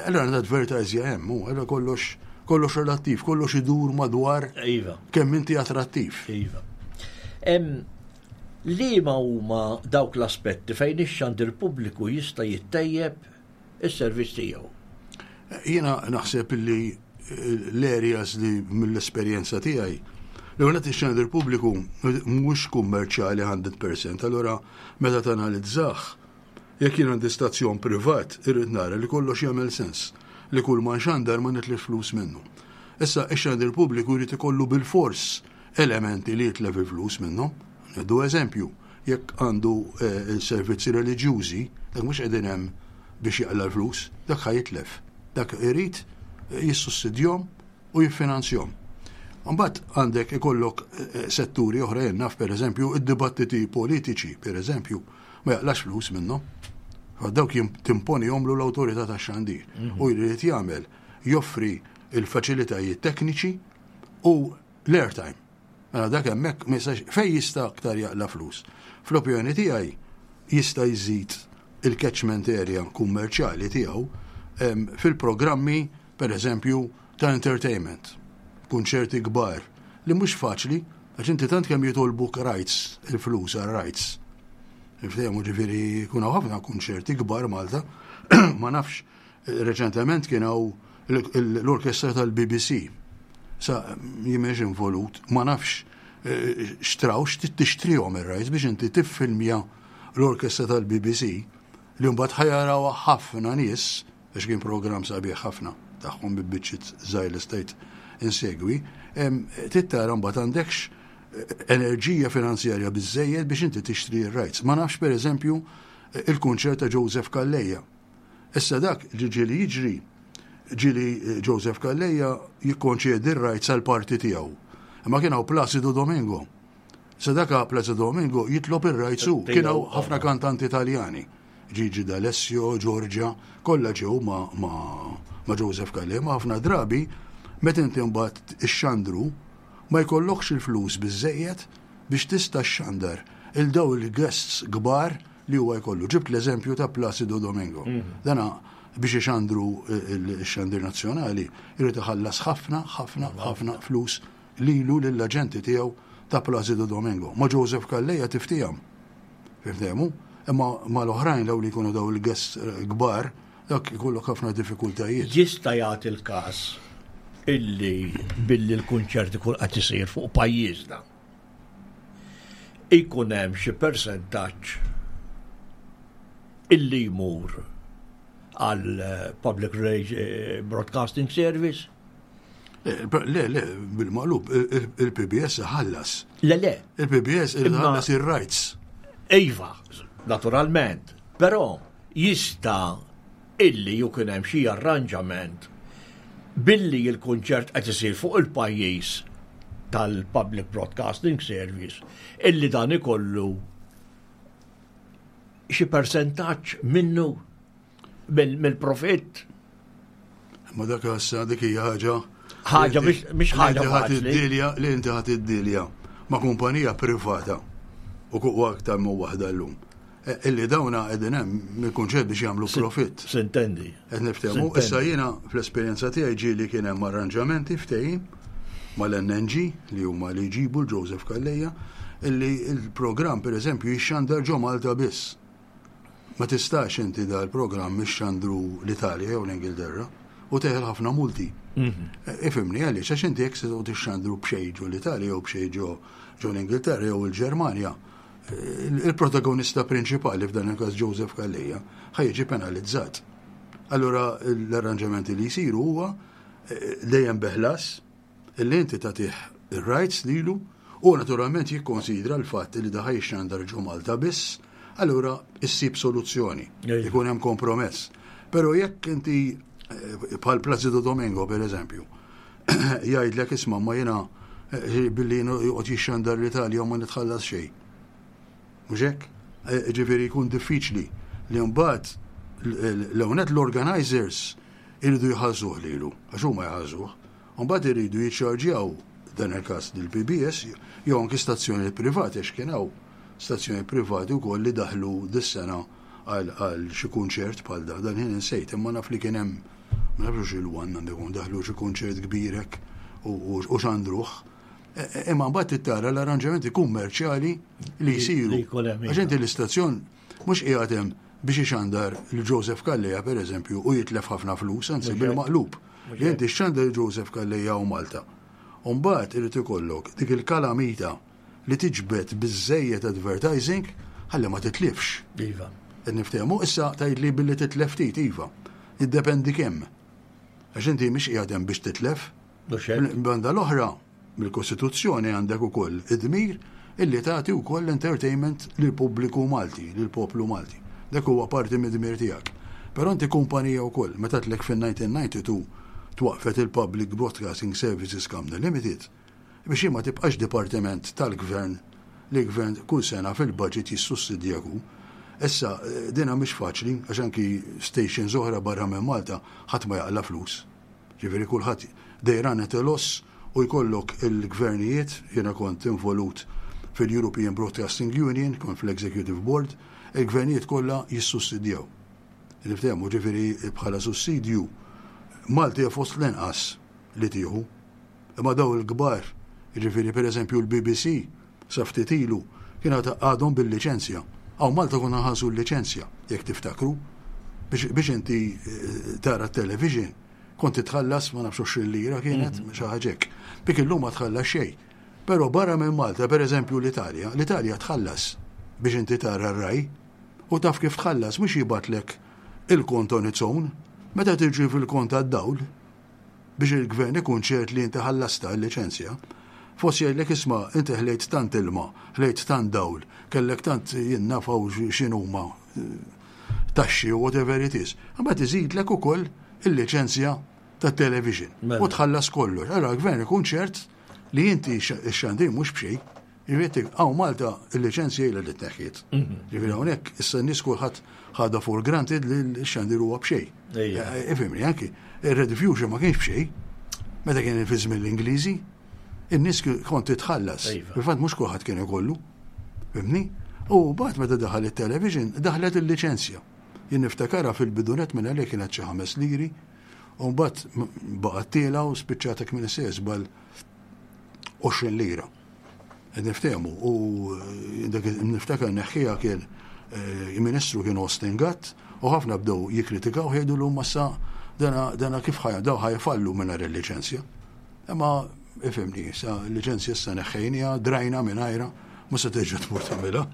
Speaker 3: Allora l-advertising hemm, u allora kollox kollox relattiv, kollox idur madwar
Speaker 2: iva.
Speaker 3: kemm inti attrattiv.
Speaker 2: Iva. Liema huma dawk l-aspetti fejn ix-xandir pubbliku jista' jittejjeb is-servizz tiegħu.
Speaker 3: Jiena naħseb li eh, l-areas li mill-esperjenza tiegħi l-għonet ix-xandir pubbliku mhux kummerċjali 100%, allura meta tanalizzah, jekk jien għandi stazzjon privat, irrid nara li kollox jagħmel sens, li kull ma nxandar ma nitlef flus minnu. Issa ix-xandir pubbliku jrid ikollu bil-fors elementi li jitlef il-flus minnhom. Nieħdu eżempju, jekk għandu eh, servizzi reliġjużi, dak mhux qegħdin hemm biex jaqla l-flus, dak ħa jitlef. Dak irid eh, jissussidjhom u jiffinanzjhom. Mbagħad għandek ikollok eh, setturi oħra jien naf pereżempju id-dibattiti politiċi, pereżempju, ma jaqlax flus minnhom. Dawk timponihomlu l-awtorità tax-xandir mhm. u jrid jagħmel joffri il-faċilitajiet tekniċi u l-airtime. Mela dak hemmhekk ma jistax fejn jista' aktar jaqla' flus. Fl-opinjoni tiegħi jista' jżid il-catchment area kummerċjali tiegħu fil-programmi pereżempju ta' entertainment, kunċerti kbar, li mhux faċli għax inti tant kemm jitolbuk rights, il-flus għal rights. Niftehmu ġifieri jkun hawn ħafna kunċerti kbar Malta, ma nafx Reċentement kien hawn l-orkestra tal-BBC. Sa jien m'iniex involut, ma nafx eh, xtraw tixtrihom ir-rights biex inti tiffilmja l-orkestra tal-BBC li mbagħad ħajaraw ħafna nies għax kien programm sabiħ ħafna tagħhom bi biċċiet żgħir li stajt insegwi, tittara mbagħad għandekx eh, enerġija finanzjarja biżejjed biex inti tixtri r-rights. Ma nafx pereżempju il-kunċert ta' Joseph Calleja. Issa dak li ġieli jiġri, ġieli eh, Joseph Calleja jikkonċedi r-rights għal parti tiegħu. Imma kien hawn Placido Domingo. Issa dak Placido Domingo jitlob ir-rights hu. Kien hawn ħafna kantanti Taljani. Gigi D'Alessio, Giorgia, kollha ġew ma, ma, ma Joseph Calleja, ma ħafna drabi meta inti mbagħad ixxandru ma jkollokx il-flus biżejjed biex tista' xxandar il daw il-guests kbar li huwa jkollu. Ġibt l-eżempju ta' Placido Domingo. Mhm. Dana biex ixandru x-xandir nazzjonali jrid iħallas ħafna, ħafna, ħafna flus lilu lill-aġenti tiegħu ta' Placido Domingo. Ma' Joseph Calleja tiftihom. Fiftehmu? Imma mal-oħrajn daw li jkunu daw il-guests eh, kbar, dak ikollok ħafna diffikultajiet.
Speaker 2: Jista' jagħti l-każ illi billi l-kunċert ikun qed isir fuq pajjiżna. Ikun hemm xi persentaġġ illi jmur għal eh, Public eh, Broadcasting Service?
Speaker 3: Eh, le, le, bil-maqlub, il-PBS ħallas.
Speaker 2: Le, le.
Speaker 3: Il-PBS ħallas il-rights.
Speaker 2: Iva, naturalment, però jista' illi jkun hemm xi arranġament billi l-kunċert qed isir fuq il-pajjiż tal-Public Broadcasting Service illi dan ikollu xi persentaġġ minnu mill-profitt.
Speaker 3: Ma dak issa dik hija ħaġa
Speaker 2: ħaġa mhix ħaġa
Speaker 3: ħaġa li inti ħadd id-dilja ma' kumpanija privata u kuq aktar minn waħda llum. Eh, illi dawna qegħdin hemm mill-kunċett biex jagħmlu profitt.
Speaker 2: Sintendi.
Speaker 3: Qed niftehmu. Issa jiena fl-esperjenza tiegħi ġieli kien hemm arranġamenti ftehim mal-NNG li huma li jġibu l-Joseph Calleja illi il-programm pereżempju jixxandar ġo Malta biss. Ma tistax inti dal-programm ixxandru l-Italja jew l-Ingilterra u teħel ħafna multi. Mhm. Eh, ifimni għaliex għax inti jekk se tixxandru b'xejn ġo l-Italja jew b'xejn ġo l-Ingilterra jew il-Ġermanja, il-protagonista prinċipali f'dan il-każ Joseph Calleja ħa jiġi penalizzat. Allura l-arranġamenti li jsiru huwa eh, dejjem beħlas illi inti tagħtih ir-rights lilu u naturalment jikkonsidra l-fatt li daħaj xandar ġo Malta biss, allura issib soluzzjoni, ikun hemm kompromess. Però jekk inti eh, bħal Placido Domingo per eżempju, jgħidlek isma' ma jiena eh, billi joqgħod jixxandar l-Italja u ma nitħallas xejn. Mhux hekk? Eh, ġifieri jkun diffiċli li mbagħad l-ewnet l-organizers iridu jħallsuh lilu, għax huma jħallsuh. Mbagħad iridu jiċċarġjaw dan il-każ lill-PBS jew anki stazzjonijiet privati għax kien hawn stazzjonijiet privati wkoll li daħlu dis-sena għal xi kunċert bħal da, dan ħin insejt, imma naf li kien hemm Ma nafx il-one għandu jkun daħlu xi kunċert kbir hekk u xandruh. E, e, imma mbagħad tittara l-arranġamenti kummerċjali li jsiru. Għax inti l-istazzjon mhux qiegħed hemm biex ixandar l Joseph Calleja pereżempju u jitlef ħafna flus, anzi bil-maqlub. Li inti xandar Joseph Calleja u Malta. U mbagħad irid ikollok dik il-kalamita li tiġbed biżżejjed advertising ħalli ma titlifx.
Speaker 2: Iva.
Speaker 3: Qed niftehmu issa tgħidli billi titlef ftit iva. Jiddependi kemm. Għax inti mhix qiegħed hemm biex titlef. Banda l-oħra, mill-Kostituzzjoni għandek ukoll id-dmir illi tagħti wkoll entertainment lill-pubbliku Malti, lill-poplu Malti. Dak huwa parti mid-dmir tiegħek. Però inti kumpanija wkoll, meta tlek fin-1992 twaqfet il-Public Broadcasting Services Company Limited, biex hi ma tibqax dipartiment tal-gvern li l-gvern kull sena fil-budget jissussidjak hu. Issa, dinha mhix faċli għax anki stations oħra barra minn Malta ħadd ma jaqla' flus. Ġifieri kulħadd they run at a loss u. U jkollok il-gvernijiet, jiena kont involut fil-European Broadcasting Union, kont fl-Executive Board, il-gvernijiet kollha jissussidjaw. Niftehmu ġifieri bħala sussidju Malti fost l-inqas li tieħu. Imma daw il-kbar, jiġifieri pereżempju l-BBC, sa ftit ilu, kien għadhom bil-liċenzja. Hawn Malta konna nħallsu l-liċenzja, jekk tiftakru, biex inti eh, tara t-television, kont titħallas ma nafx 20 lira kienet, mhm. xi ħaġa hekk. Dik illum ma tħallas xejn. Però barra minn Malta, pereżempju l-Italja, l-Italja tħallas biex inti tara r-raj u taf kif tħallas mhux jibatlek il-kont on its own, meta tiġi fil-kont għad-dawl, biex il-gvern ikun ċert li inti ħallastha l-liċenzja, forsi jgħidlek isma' inti ħlejt tant ilma, ħlejt tant dawl, kellek tant jien naf hawn x'inhuma taxxi u whatever it is. Imbagħad iżidlek ukoll il-liċenzja tat-television mela. u tħallas kollox. Allora l-gvern ikun ċert li inti x-xandir mhux b'xejn. Jiġifieri hawn Malta il-liċenzja ilha li tneħħiet. Mhm. Jiġifieri hawnhekk issa n-nies kulħadd ħadha for granted li x-xandir huwa b'xejn. Eh, eh, ifhimni anki, ir-rediffusion ma kienx b'xejn. Meta kien fi żmien l-Ingliżi, in-nies kont titħallas. Iva. Fil-fatt mhux kulħadd kien ikollu. Fimni? U bad meta daħal it-television, daħlet il-liċenzja. Jien niftakarha fil-bidunet minn għalih kienet xi ħames liri, u mbagħad baqgħet tiela u spiċċatek minn żball 20 lira. Qed niftehmu u eh, dak niftakar neħħija kien eh, il-Ministru kien Austin Gatt u ħafna bdew jikkritikaw jgħidu l massa dana, dana kif ħaj daw ħajfallu mingħajr il-liċenzja. Imma ifhimni, sa l-liċenzja issa neħħejnija, drajna mingħajra, ma se terġa' tmur tagħmilha.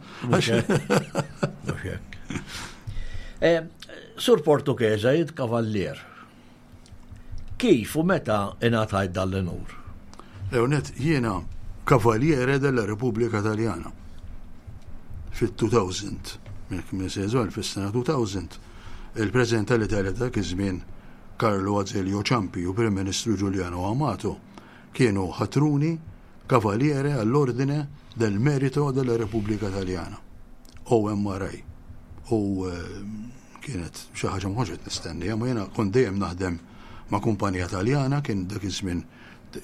Speaker 2: Eh, Sur Portughese jid kavallier. Kif u meta ingħatajt dan l-unur?
Speaker 3: Leonet, jiena Cavaliere della Repubblica Taljana. Fit-2000, minn se fis-sena 2000, il-President tal-Italja dak iż-żmien Carlo Azeglio Ciampi u Prim Ministru Giuliano Amato kienu ħatruni Cavaliere all'Ordine del Merito della Repubblica Taljana, OMRI. U eh, Kienet xi ħaġa ma kontx qed nistenniha, ma jiena kont dejjem naħdem ma' kumpanija Taljana, kien dak iż-żmien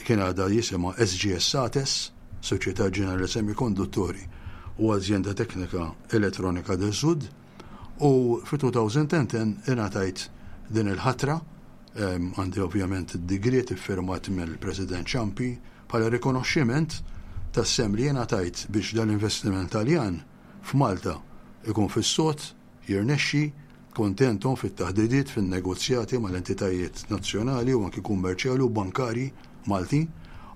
Speaker 3: kien għadha jisimha SGS Ates, Società Generale Semiconduttori u Azienda Tecnica Elettronica del Sud, u fi 2010 ingħatajt din il-ħatra, għandi ovvjament id-digriet iffirmat mill-President Ciampi bħala rikonoxximent tas-sehem li jiena tajt biex dal-investiment Taljan f'Malta ikun fis-sod jirnexxi, kontentom fit-taħdidiet fin-negozjati mal-entitajiet nazzjonali u anki kummerċjali u bankarji Maltin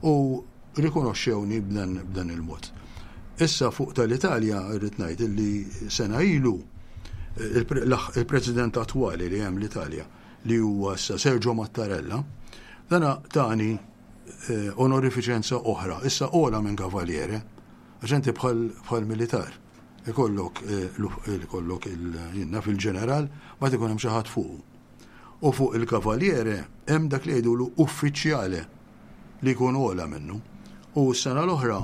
Speaker 3: u rikonoxxewni b'dan il-mod. Issa fuq tal-Italja rrid ngħid illi sena ilu il-President attwali li hemm l-Italja li huwa issa Sergio Mattarella, dana tani eh, onorifiċenza oħra, issa ola minn Cavaliere, għax inti bħal militar. Ikollok ikollok il fil-ġeneral, ma ikun hemm xi ħadd fuqu. U fuq il-kavalliere hemm dak li jgħidulu uffiċjale li jkun ogħla minnu. U s-sena l-oħra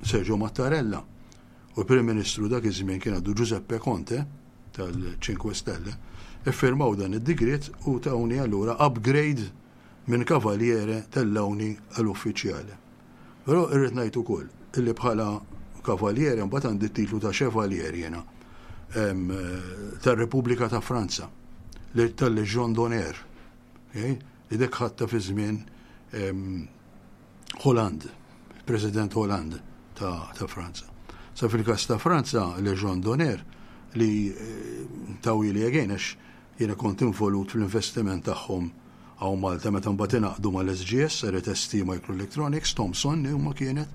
Speaker 3: Sergio Mattarella u l-Prim Ministru dak iż-żmien kien għadu Giuseppe Conte tal-Cinque Stelle iffirmaw dan id-digriet u tawni allura upgrade minn kavalliere tellgħuni għal uffiċjale. Però irrid ngħid ukoll illi bħala kavalliere mbagħad għandi t-titlu ta' chevalier jiena tar-Repubblika ta' Franza tal-Legion d'Honneur li dek ħadta fi żmien Hollande, il-President Hollande ta' Franza. Sa fil-każ ta' Franza, Legion d'Honneur li eh, tawili again għax jiena kont involut fl-investiment tagħhom Hawn Malta meta mbagħad ingħaqdu mal-SGS, saret ST Microelectronics, Thomson li huma kienet,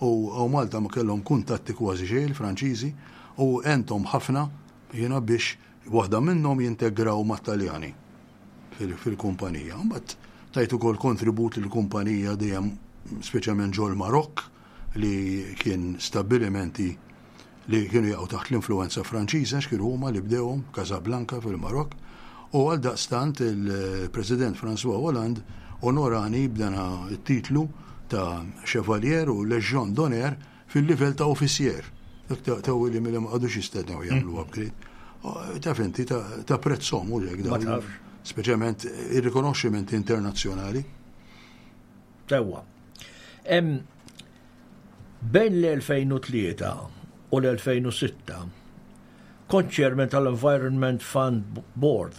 Speaker 3: u hawn Malta ma kellhom kuntatti kważi xejn il-Franċiżi u għenthom ħafna jiena biex waħda minnhom jintegraw mat-Taljani fil-kumpanija. Mbagħad tajt ukoll kontribut lill-kumpanija dejjem speċjalment ġol-Marokk li kien stabbilimenti li kienu jaqgħu taħt l-influwenza Franċiża għax kienu huma li bdewhom Casablanca fil-Marokk u għaldaqstant il-President François Hollande onorani b'dan it-titlu ta' Chevalier u Légion d'honneur fil-livell ta' officier. Dak ta' Willy milli ma qagħdux jistennew jagħmlu upgrade. Taf inti ta' prezzhom u hekk dawn. Speċjalment ir-rikonoxximenti internazzjonali.
Speaker 2: Sewwa. Bejn l-2003 u l-2006 kont chairman tal-Environment Fund Board.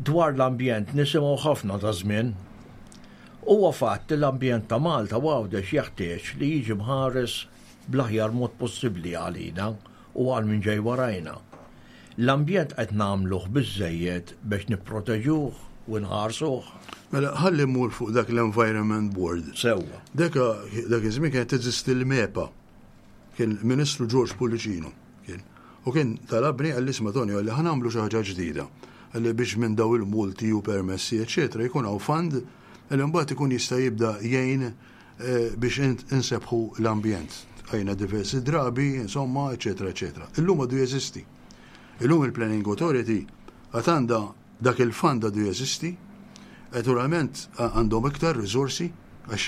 Speaker 2: Dwar l-ambjent nisimgħu ħafna ta' żmien. Huwa fatt li l-ambjent ta' Malta u Għawdex jeħtieġ li jiġi mħares bl-aħjar mod possibbli għalina u għal min ġej warajna. L-ambjent qed nagħmluh biżżejjed biex nipproteġuh u nħarsuh?
Speaker 3: Mela ħalli mmur fuq dak l-Environment Board.
Speaker 2: Sewwa.
Speaker 3: Dak dak iż-żmien kienet teżisti l-MEPA. Kien Ministru George Pullicino kien. U kien talabni qalli isma' Tonio qalli ħa nagħmlu xi ħaġa ġdida. Qalli biex minn daw il-multi u permessi eċċetera jkun hawn fund li mbagħad ikun jista' jibda jgħin biex insebbħu l-ambjent. Għajna diversi drabi, insomma, eċetera, eċetera. Illum għadu jeżisti. Illum il-Planning Authority għad għandha dak il-fund għadu jeżisti, naturalment għandhom iktar riżorsi għax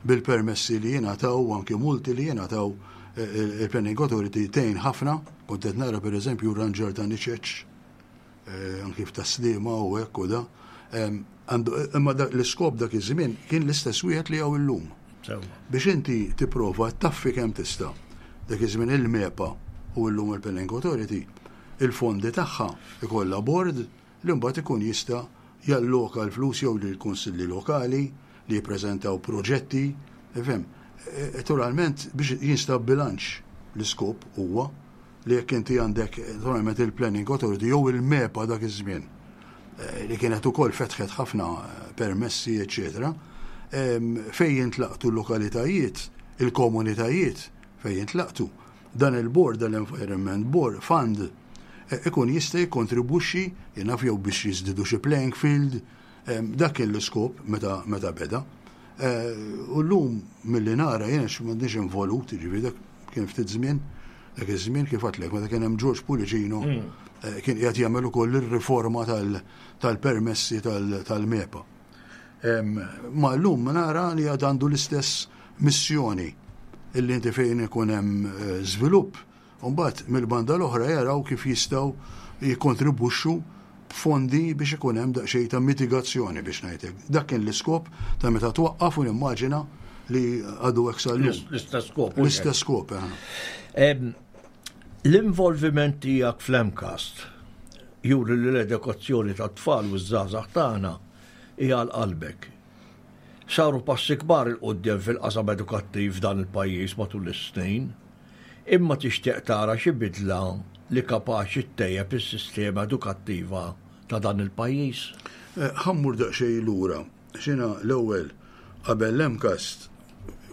Speaker 3: bil-permessi li jingħataw u anki multi li jingħataw il-Planning Authority tgħin ħafna, kont qed nara pereżempju ranġar ta' niċeċ anki f'Tas-Sliema u hekk u da. Imma l-iskop dak iż-żmien kien l-istess wieħed li hawn illum. Biex inti tipprova taffi kemm tista'. Dak iż-żmien il-MEPA u llum il-Planning Authority, il-fondi tagħha ikollha board li mbagħad ikun jista' jalloka l-flus jew lill-kunsilli lokali li jippreżentaw proġetti, ifhem. Naturalment biex jinstab bilanċ l-iskop huwa li jekk inti għandek naturalment il-Planning Authority jew il-MEPA dak iż-żmien eh, li kienet ukoll fetħet ħafna eh, permessi, eċetera, fejn jintlaqtu l-lokalitajiet, il-komunitajiet fejn jintlaqtu, dan il-board, dal-Environment Board Fund, eh, ikun jista' jikkontribwixxi jien naf jew biex jiżdidu xi playing field, dak kien l-iskop meta meta beda. U llum milli nara jien għax m'għandniex involut, jiġifieri dak kien ftit żmien, dak iż-żmien kif għedtlek meta kien hemm George Pullicino kien qiegħed jagħmel ukoll ir-riforma tal-permessi tal-MEPA. Ma llum nara li għad għandu l-istess missjoni illi inti fejn ikun hemm żvilupp Mbagħad mill-banda l-oħra jaraw kif jistgħu jikkontribwixxu b'fondi biex ikun hemm daqsxejn ta' mitigazzjoni biex ngħid hekk. Dak kien l-iskop ta' meta twaqqaf u nimmaġina li għadu hekk sal-lum.
Speaker 2: L-istess skop.
Speaker 3: L-istess skop,
Speaker 2: eh. L-involviment tiegħek fl-MCAST juri li l-edukazzjoni tat-tfal u ż-żgħażagħ tagħna hija għal qalbek. Saru passi kbar 'il quddiem fil-qasam edukattiv f'dan il-pajjiż matul is-snin. Imma tixtieq tara xi bidla li kapaċi ttejjeb is-sistema edukattiva ta' dan il-pajjiż?
Speaker 3: Ħa mmur daqsxejn lura. Għax jiena l-ewwel qabel l-MCAST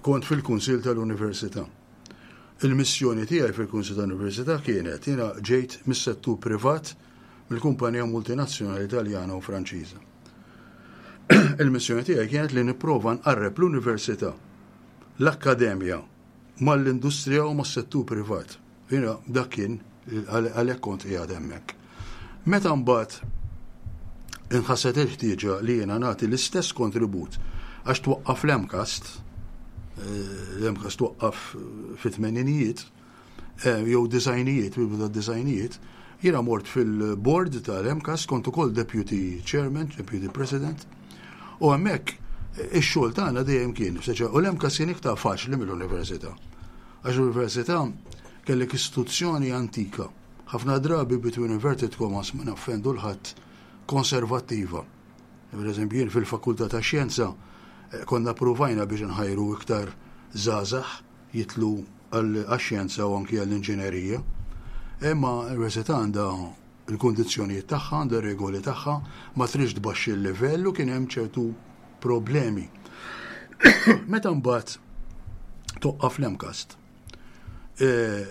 Speaker 3: kont fil-Kunsill tal-Università. Il-missjoni tiegħi fil-Kunsill tal-Università kienet, jiena ġejt mis-settur privat mill-kumpanija multinazzjonali Taljana u Franċiża. Il-missjoni tiegħi kienet li nipprova nqarreb l-università, l-akkademja mal-industrija u mas-settur privat. Jiena dak kien għalhekk kont qiegħed hemmhekk. Meta mbagħad inħasset il-ħtieġa li jiena nagħti l-istess kontribut għax twaqqaf l-MCAST, eh, l-MCAST twaqqaf fit-tmeninijiet, eh, jew disgħinijiet, bidu tad-disgħinijiet, jiena mort fil-board tal-MCAST, kont ukoll deputy chairman, deputy president, u hemmhekk eh, ix-xogħol tagħna dejjem kien, u l-MCAST kien iktar faċli mill-università. Għax l-università kellek istituzzjoni antika, ħafna drabi between inverted commas ma naffendu 'l ħadd konservattiva. Per eżempju, jien fil-Fakultà ta' Xjenza eh, konna provajna biex nħajru iktar żgħażagħ jitlu għax-xjenza u anki għall-inġinerija. Imma l-università għandha l-kundizzjonijiet tagħha, għandha regoli tagħha, ma tridx tbaxxi l-livell u kien hemm ċertu problemi. Meta mbagħad toqqaf l-MCAST, eh,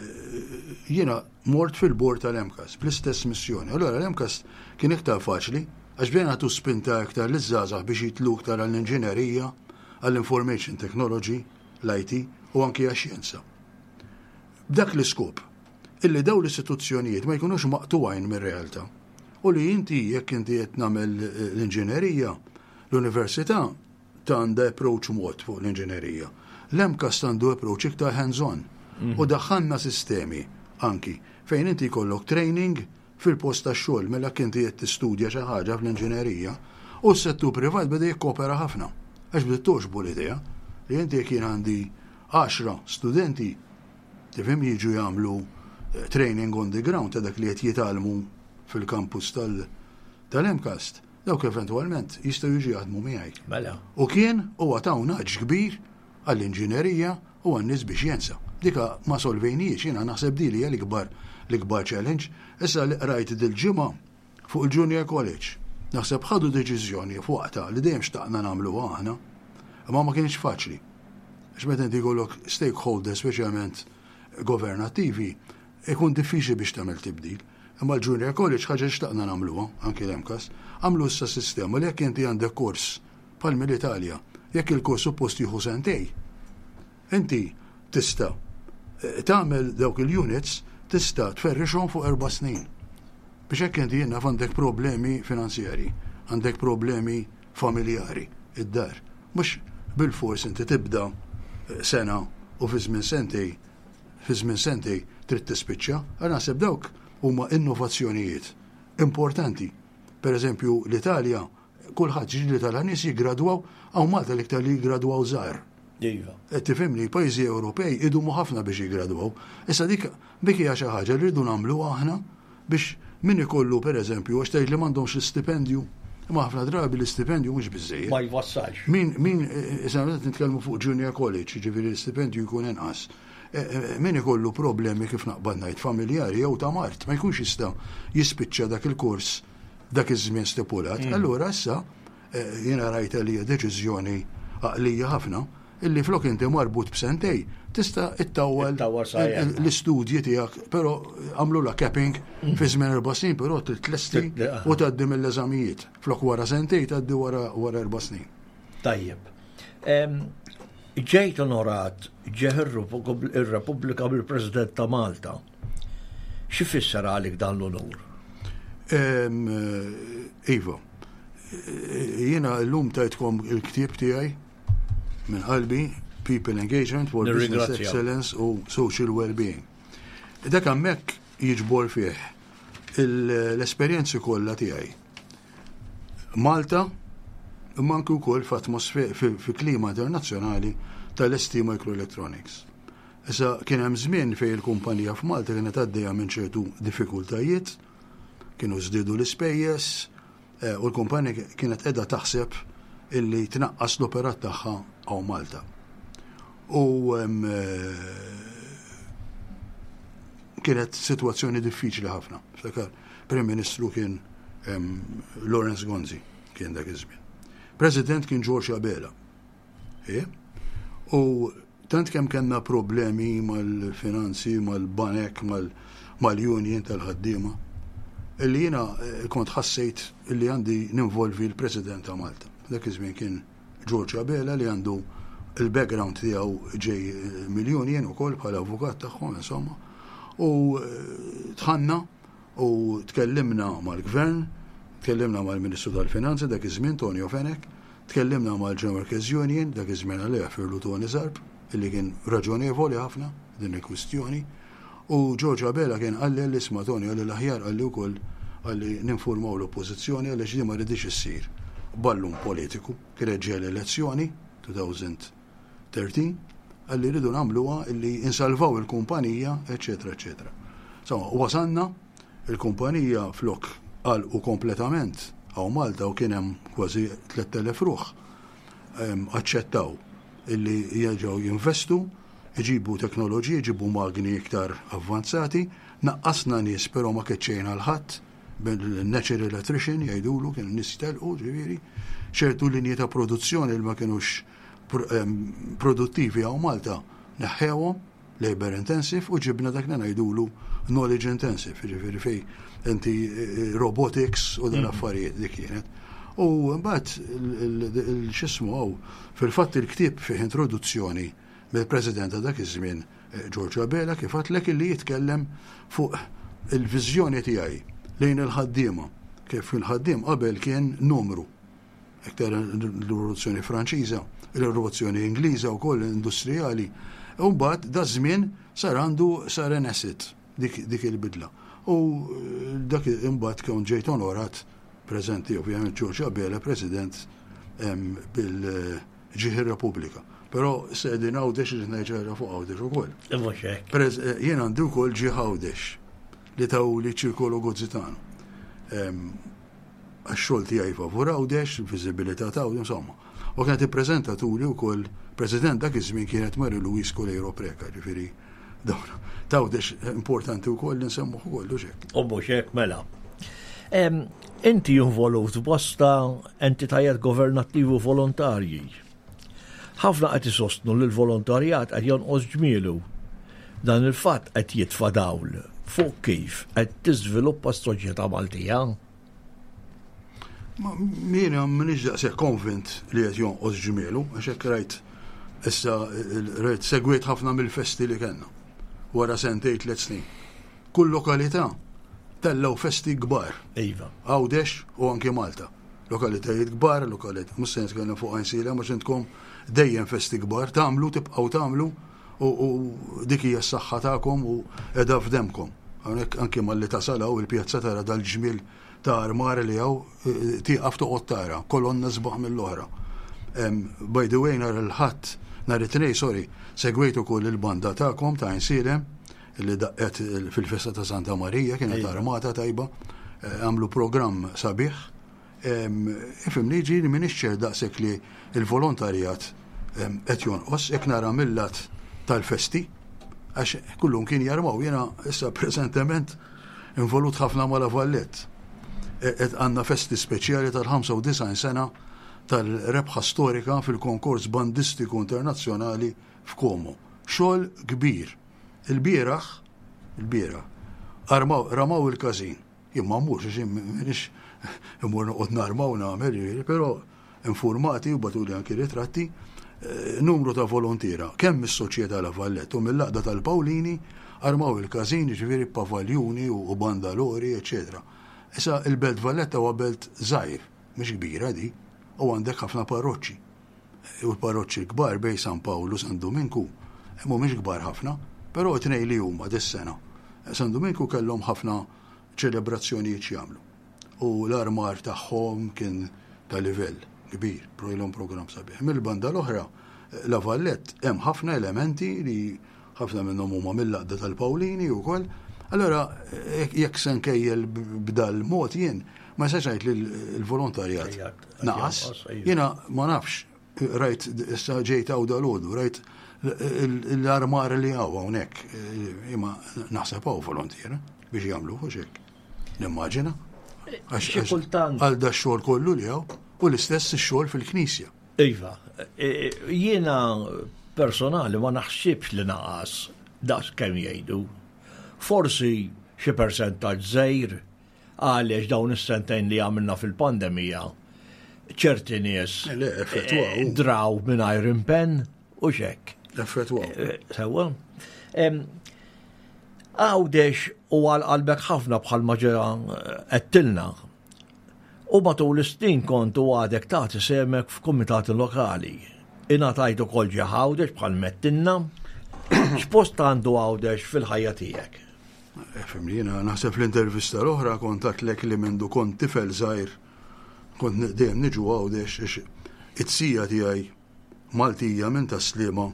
Speaker 3: jiena mort fil-bord tal-MCAST bl-istess missjoni. Allora l-MCAST kien iktar faċli għax bdejna nagħtu spinta iktar liż-żgħażagħ biex jitlu iktar għall-inġinerija, għall-information technology, l-IT u anki għax-xjenza. B'dak l-iskop illi dawn l-istituzzjonijiet ma jkunux maqtugħin mir-realtà u li inti jekk inti qed nagħmel l-inġinerija, l-università ta' għandha approach mod fuq l-inġinerija. L-MCAST għandu approach iktar hands-on u daħħalna sistemi anki fejn inti jkollok training fil-post tax-xogħol mela jekk inti qed tistudja xi ħaġa fl-inġinerija u s-settur privat beda jikkopera ħafna. Għax bdiet togħġbu l-idea li inti jekk jien għandi għaxra studenti tifhem jiġu jagħmlu eh, training on the ground ta' dak li qed jitgħallmu fil-kampus tal-MCAST, dawk eventwalment jistgħu jiġu jaħdmu miegħi.
Speaker 2: Mela.
Speaker 3: U kien huwa ta' naġ kbir għall-inġinerija u għan-nies biex jensa. Dika ma solvejniex, jiena naħseb di li hija l-ikbar l-ikbar challenge. Issa li qrajt dil-ġimgħa fuq il-Junior College. Naħseb ħadu deċiżjoni f'waqtha li dejjem xtaqna nagħmluha aħna, imma ma kienx faċli. Għax meta inti jkollok stakeholders speċjalment governattivi, ikun diffiċli biex tagħmel tibdil. Imma l-Junior College ħaġa xtaqna nagħmluha, anki l-MCAST, għamlu issa sistema li jekk inti għandek kors bħal mill-Italja, jekk il-kors suppost jieħu sentej, inti tista' eh, tagħmel dawk il-units tista' tferrixhom fuq 4 snin. Biex hekk inti jiena għandek problemi finanzjari, għandek problemi familjari, id-dar. Mhux bil-fors inti tibda eh, sena u fi żmien sentej trid tispiċċa. Għal naħseb dawk huma innovazzjonijiet importanti. Per eżempju, l-Italja, kulħadd ġili tara nies jiggradwaw, hawn Malta l-iktar li jiggradwaw żgħar. Qed tifhimni, pajjiżi Ewropej idumu ħafna biex jiggradwaw. Issa dik dik hija xi ħaġa li rridu nagħmlu aħna biex min ikollu pereżempju għax tgħid li m'għandhomx l-istipendju. Imma ħafna drabi l-istipendju mhux biżejjed.
Speaker 2: Ma jwassalx.
Speaker 3: Min, issa meta nitkellmu fuq junior college, ġifieri l-istipendju jkun inqas. Min ikollu problemi kif naqbad ngħid familjari jew ta' mard, ma jkunx jista' jispiċċa dak il-kors dak iż-żmien stipulat. Allura issa jiena rajta li hija deċiżjoni għaqlija ħafna illi flok inti marbut b'sentej tista' ittawwal
Speaker 2: Ittawwal sa erba'.
Speaker 3: l-istudji tiegħek, però għamlu la capping fi żmien 4 snin, però tlesti u tgħaddi mill-eżamijiet. Flok wara sentej tgħaddi wara 4 snin.
Speaker 2: Tajjeb. Ġejt onorat ġieħ ir-Repubblika bil-President ta' Malta. Xi fisser għalik dan l-onur?
Speaker 3: Iva, jiena l-lum tajtkom il-ktieb tiegħi minn qalbi, People Engagement for Business
Speaker 2: Nirringrazzja.
Speaker 3: Excellence u Social Wellbeing. Dak hemmhekk jiġbor fih l-esperjenzi kollha tiegħi. Malta, imma anke wkoll f'atmosfer fi klima internazzjonali tal-ST Microelectronics. Issa kien hemm żmien fejn il-kumpanija f'Malta kienet għaddejja minn ċertu diffikultajiet, kienu żdiedu l-ispejjeż, u l-kumpanija kienet qiegħda taħseb illi tnaqqas l-operat tagħha hawn Malta. U kienet sitwazzjoni diffiċli ħafna. Ftakar, Prim Ministru kien Lawrence Gonzi kien dak iż-żmien. President kien George Abela. U tant kemm kellna problemi mal-finanzi, mal-banek, mal-union tal-ħaddiema, illi jiena kont ħassejt illi għandi ninvolvi l-President ta' Malta. Dak iż-żmien kien George Abela li għandu il-background tiegħu ġej mill-union ukoll bħala avukat tagħhom insomma. U dħalna u tkellimna mal-gvern, tkellimna mal-Ministru tal-Finanzi dak iż-żmien Tonio Fenech, tkellimna mal-General Workers Union dak iż-żmien għalih firlu Tony Zarb, illi kien raġonevoli ħafna din il-kwistjoni. U George Abela kien qalli li isma' Tony qalli l-aħjar qalli wkoll qalli ninformaw l-oppożizzjoni għaliex di ma ridix issir ballun politiku. Kienet ġej l-elezzjoni 2013 qalli rridu nagħmluha illi insalvaw il-kumpanija, eċetera, eċetera. Insomma, wasanna il-kumpanija flok għalqu kompletament hawn Malta u kien hemm kważi 3000 ruħ aċċettaw illi jerġgħu jinvestu, iġibu teknoloġiji, iġibu magni iktar avvanzati, naqqasna nies però ma keċċejna 'l ħadd bil-natural attrition jgħidulu kienu nies telqu ġifieri, ċertu linji ta' produzzjoni li ma kienux produttivi hawn Malta neħħewhom labor intensive u ġibna dak li ngħidulu knowledge intensive, ġifieri fej inti robotics u dan affarijiet dik kienet. U mbagħad il-x'ismu hawn fil-fatt il-ktieb fih introduzzjoni mill-President ta' dak iż-żmien George Abela kif għedtlek illi jitkellem fuq il-viżjoni tiegħi lejn il-ħaddiema kif il-ħaddiem qabel kien numru. Iktar l-rivoluzzjoni Franċiża, il-rivoluzzjoni Ingliża wkoll industrijali. U mbagħad da żmien sar għandu sar an asset dik il-bidla. U dak imbagħad kien ġejt onorat preżenti ovvjament George Abela, President bil Ġieħ ir-Repubblika. Però issa qegħdin Għawdex irrid ngħid xi ħaġa fuq Għawdex ukoll.
Speaker 2: Mhux hekk.
Speaker 3: Eh, jien għandi wkoll ġieħ Għawdex li tawli ċirkolo Gozzitano. Għax-xogħol tiegħi favur Għawdex, il-viżibilità ta' Għawdex, insomma. U kienet ippreżentatuli wkoll President dak iż-żmien kienet Mary Louise Coleiro Preca, ġifieri dawn ta' Għawdex importanti wkoll li nsemmuh ukoll u xek.
Speaker 2: U mhux hekk mela. Inti involut f'bosta entitajiet governattivi u volontarji. Ħafna qed isostnu li l-volontarjat qed jonqos ġmielu. Dan il-fatt qed jitfa' dawl fuq kif qed tiżviluppa s-soċjetà Maltija.
Speaker 3: Ma jiena m'iniex daqshekk konvint li qed jonqos ġmielu, għax hekk rajt issa rajt segwejt ħafna mill-festi li kellna wara sentejn tliet snin. Kull lokalità tellgħu festi kbar.
Speaker 2: Iva.
Speaker 3: Għawdex u anki Malta. Lokalitajiet kbar, lokalitajiet, mhux se nitkellem fuq Għajnsielem għax intkom dejjem festi kbar, tagħmlu, tibqgħu tagħmlu u dik hija s-saħħa tagħkom u qiegħda f'demmkom. Hawnhekk anki malli tasal hawn il-pjazza tara dal-ġmiel ta' armar li hawn, tieqaf toqgħod tara, kolonna sbaħ mill-oħra. By the way, nhar il-Ħadd, nhar it-Tnejn, sorry, segwejt ukoll il-banda tagħkom ta' Għajnsielem li daqqet fil-festa ta' Santa Marija, kienet armata tajba, eh, għamlu programm sabiħ. Ifimni ġiri minn ċer daqshekk li il-volontarjat qed jonqos, jekk nara millat tal-festi, għax kullum kien jarmaw, jena issa preżentement involut ħafna ma' La Vallette. E, qed għandna festi speċjali tal-95 sena tal-rebħa storika fil-konkors bandistiku internazzjonali f'Komo. Xogħol kbir. Il-bieraħ, il-bieraħ, armaw, ramaw il-każin. Jien ma mmurx għax jien m'iniex immur noqgħod narma u nagħmel, jiġifieri, però informati u bagħtuli anki ritratti, eh, numru ta' volontiera, kemm mis-Soċjetà La Vallette u mill-Għaqda tal-Pawlini armaw il-każin, jiġifieri pavaljuni u bandalori, eċċetera. Issa il-Belt Valletta huwa belt żgħir, mhix kbira di, u għandek ħafna parroċċi. U l-parroċċi l-kbar bejn San Pawl u San Duminku mhumiex kbar ħafna, però t-tnejn li huma dis-sena. San Duminku kellhom ħafna ċelebrazzjonijiet x'jagħmlu. U l-armar tagħhom kien ta' livell kbir, ilhom programm sabiħ. Mill-banda l-oħra, La Vallette hemm ħafna elementi li ħafna minnhom huma mill-għaqda tal-Pawlini wkoll. Allora, jekk se nkejjel b'dal mod jien, ma nistax ngħid li l-volontarjat naqas. Jiena ma nafx, rajt issa ġejt hawn dalgħodu, rajt l-armar li hawn hawnhekk, imma naħseb hawn volontiera biex jagħmlu hux hekk. Nimmaġina.
Speaker 2: Xi kultant.
Speaker 3: Għal da xogħol kollu li hawn u l-istess ix-xogħol fil-knisja.
Speaker 2: Iva, e, jiena personali ma naħsibx li naqas daqs kemm jgħidu. Forsi xi persentaġġ żgħir għaliex dawn is-sentejn li għamilna fil-pandemija ċerti nies
Speaker 3: eh,
Speaker 2: draw mingħajr impenn u xek.
Speaker 3: Effettwaw.
Speaker 2: Eh, sewwa. Għawdex u għal qalbek ħafna bħal ma ġera għettilna U matul is-snin kont u għadek tagħti sehmek f'kumitati lokali. Ingħatajt ukoll ġieħ Għawdex bħal m'għedtilna. X'post għandu Għawdex fil-ħajja tiegħek?
Speaker 3: Fimni, jiena naħseb fl-intervista l-oħra kont għedtlek li mindu kont tifel żgħir kont dejjem niġu Għawdex għax it-sija tiegħi Maltija minn Tas-Sliema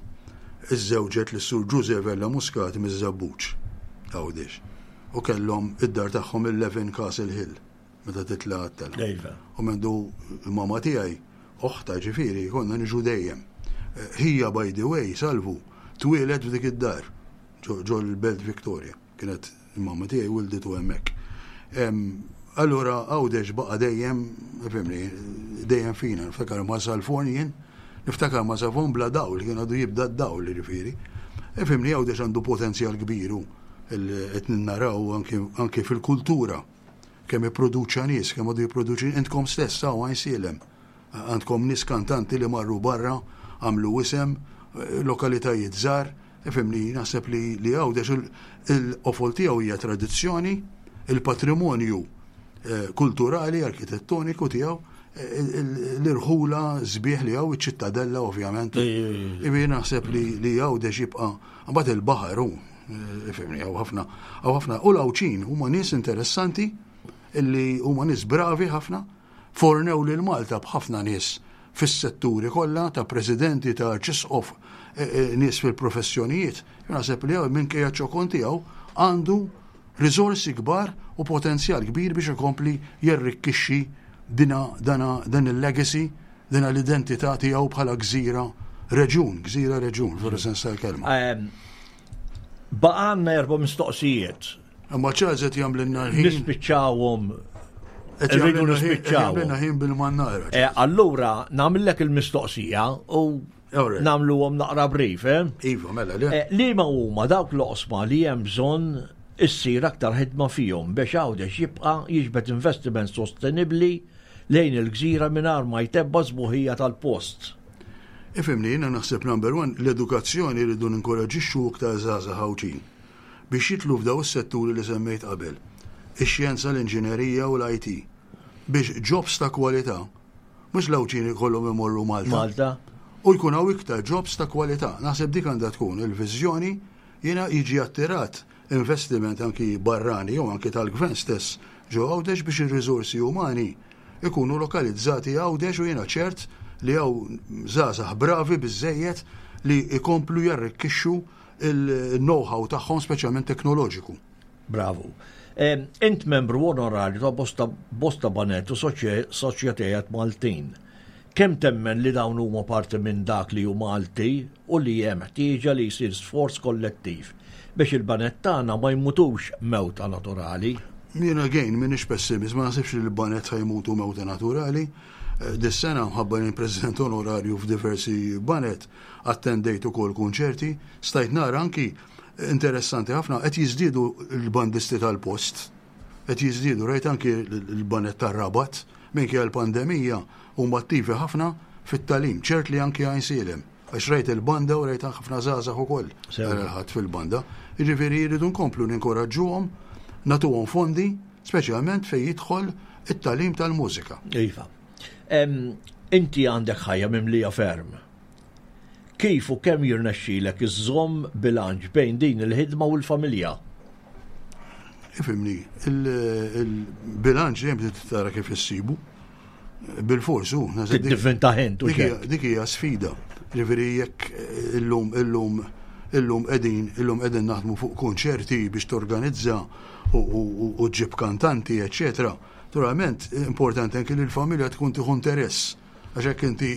Speaker 3: iżżewġet lis-Sur Ġużè Vella Muscat miż-Żebbuġ, Għawdex, u kellhom id-dar tagħhom 11 Castle Hill. meta titla' għat-telgħa.
Speaker 2: Iva.
Speaker 3: U mendu l-mama tiegħi, oħta ġifieri, konna niġu dejjem. Eh, ħija by the way, salvu, twieled f'dik id-dar, ġo l-Belt Victoria. Kienet il-mama tiegħi wilditu hemmhekk. Allura Għawdex baqa' dejjem, fimni, dejjem fina, niftakar ma' Salfon jien, niftakar ma' Salfon bla dawl, kien għadu jibda d-dawl ġifieri. Fimni Għawdex għandu potenzjal kbir u qed naraw anki fil-kultura Kemm ipproduċa nies, kemm għadu jipproduċi, intkom stess hawn Għajnsielem. Għandkom nies kantanti li marru barra, għamlu isem, lokalitajiet żgħar, ifhimni, naħseb li li Għawdex il-qofol tiegħu hija tradizzjoni, il-patrimonju eh, kulturali, arkitettoniku tiegħu, l-irħula sbieħ li hawn, iċ-ċittadella ovvjament. Ibi naħseb li li Għawdex jibqa' mbagħad il-baħar hu Ifhimni, hawn ħafna, hawn ħafna. U l-Għawdxin huma nies interessanti illi huma nies bravi ħafna, fornew lil Malta b'ħafna nies fis-setturi kollha ta' presidenti ta' arċisqof eh, eh, nies fil-professjonijiet. Naħseb li minkejja ċokon tiegħu għandu riżorsi kbar u potenzjal kbir biex ikompli jerrikkixxi dina dana dan il-legacy, dina l-identità tiegħu bħala gżira reġun, gżira reġun, fil sens tal-kelma.
Speaker 2: Ehm, baqgħanna erba' mistoqsijiet.
Speaker 3: Imma Charles qed jagħmlilna l-ħin.
Speaker 2: Nispiċċawhom. Irridu nispiċċaw.
Speaker 3: Jagħmlilna ħin bil-mannara.
Speaker 2: Eh, allura nagħmillek il-mistoqsija u nagħmluhom naqra brief, eh?
Speaker 3: Iva, mela le.
Speaker 2: Eh, liema huma dawk l-oqsma li hemm bżonn issir aktar ħidma fihom biex Għawdex jibqa' jiġbed investiment sostenibbli lejn il-gżira mingħajr ma jtebba' s-sbuħija tal-post.
Speaker 3: Ifhimni, jiena naħseb number one, l-edukazzjoni rridu ninkoraġġixxu iktar żgħażagħ Għawdxin biex jidħlu f'daw is-setturi li semmejt qabel, ix-xjenza, l-inġinerija u l-IT, biex jobs ta' kwalità, mhux l-Għawdxin ikollhom imorru Malta.
Speaker 2: Malta.
Speaker 3: U jkun hawn iktar jobs ta' kwalità. Naħseb dik għandha tkun il-viżjoni jiena jiġi attirat investiment anki barrani jew anki tal-gvern stess ġo Għawdex biex ir-riżorsi umani ikunu lokalizzati Għawdex u jiena ċert li hawn żgħażagħ bravi biżżejjed li jkomplu jarrikkixxu il-know-how tagħhom speċjalment teknoloġiku.
Speaker 2: Bravu. Int membru onorarju ta' bosta, bosta banet u soċjetajiet Maltin. Kemm temmen li dawn huma parti minn dak li hu Malti u li hemm ħtieġa li jsir sforz kollettiv biex il-baned tagħna ma jmutux mewta naturali?
Speaker 3: Jien again m'iniex pessimist, ma naħsibx li l-baned ħa jmutu mewta naturali. Eh, dis-sena mħabba li president onorarju f'diversi baned, attendejt ukoll kunċerti, stajt nara anki interessanti ħafna qed jiżdiedu l-bandisti tal-post. Qed jiżdiedu rajt anki l-baned tar-Rabat minkejja l-pandemija huma attivi ħafna fit-tagħlim, ċert li anki Għajnsielem. Għax rajt il-banda u rajt ħafna żgħażagħ ukoll nhar il-Ħadd fil-banda. Jiġifieri jridu nkomplu ninkoraġġuhom, nagħtuhom fondi, speċjalment fejn jidħol it-tagħlim tal-mużika.
Speaker 2: Iva. Inti għandek ħajja mimlija ferm. Kif u kemm jirnexxilek iżżomm bilanċ bejn din il-ħidma u l-familja?
Speaker 3: Ifhimni, il-bilanċ dejjem trid tara kif issibu. Bil-fors hu.
Speaker 2: Tiddivvinta ħint u
Speaker 3: Dik hija sfida. Ġifieri jekk illum illum illum qegħdin illum qegħdin naħdmu fuq konċerti biex torganizza u ġġib kantanti, eċċetera. Naturalment, importanti anke li l-familja tkun tieħu interess. Għax hekk inti,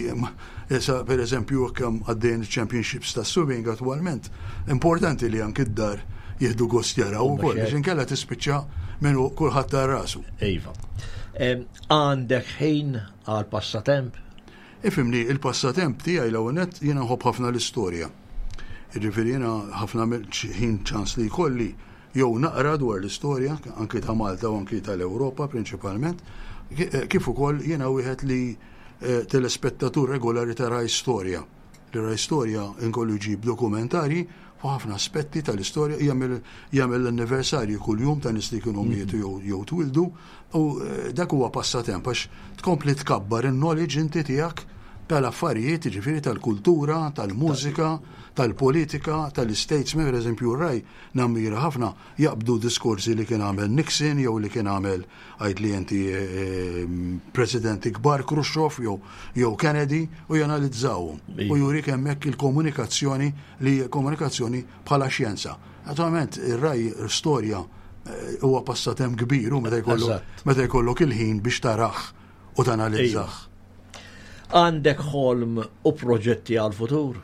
Speaker 3: issa per eżempju jekk hemm għaddejjin championships ta' swimming attwalment, importanti li anki d-dar jieħdu gost jaraw ukoll, biex inkella tispiċċa minn kulħadd ta' rasu.
Speaker 2: Iva. Għandek ħin għal passatemp?
Speaker 3: Ifimni, il-passatemp tiegħi l-ewwel nett jiena nħobb ħafna l-istorja. Jiġifieri jiena ħafna ħin ċans li jkolli jew naqra dwar l-istorja, anki ta' Malta u anki tal-Ewropa prinċipalment, eh, kif ukoll jiena wieħed li eh, telespettatur regolari ta' Rai Storja. Li Rai Storja inkollu jġib dokumentarji fuq ħafna aspetti tal-istorja, jagħmel l-anniversarju kuljum ta' nies li kienu mhm. mietu jew twildu, u eh, dak huwa passatemp għax tkompli tkabbar in-knowledge inti tiegħek tal-affarijiet, ġifieri tal-kultura, tal-mużika, tal-politika, tal-statesman, per eżempju, raj Nammira ħafna jaqbdu diskorsi li kien għamel Nixon jew li kien għamel għid li inti presidenti kbar Khrushchev jew jew Kennedy u janalizzawhom u jurik hemmhekk il-komunikazzjoni li komunikazzjoni bħala xjenza. Naturalment ir-raj storja eh, huwa passatemp kbir u meta jkollok meta jkollok il-ħin biex tarah u tanalizzah.
Speaker 2: Għandek ħolm u proġetti għall-futur?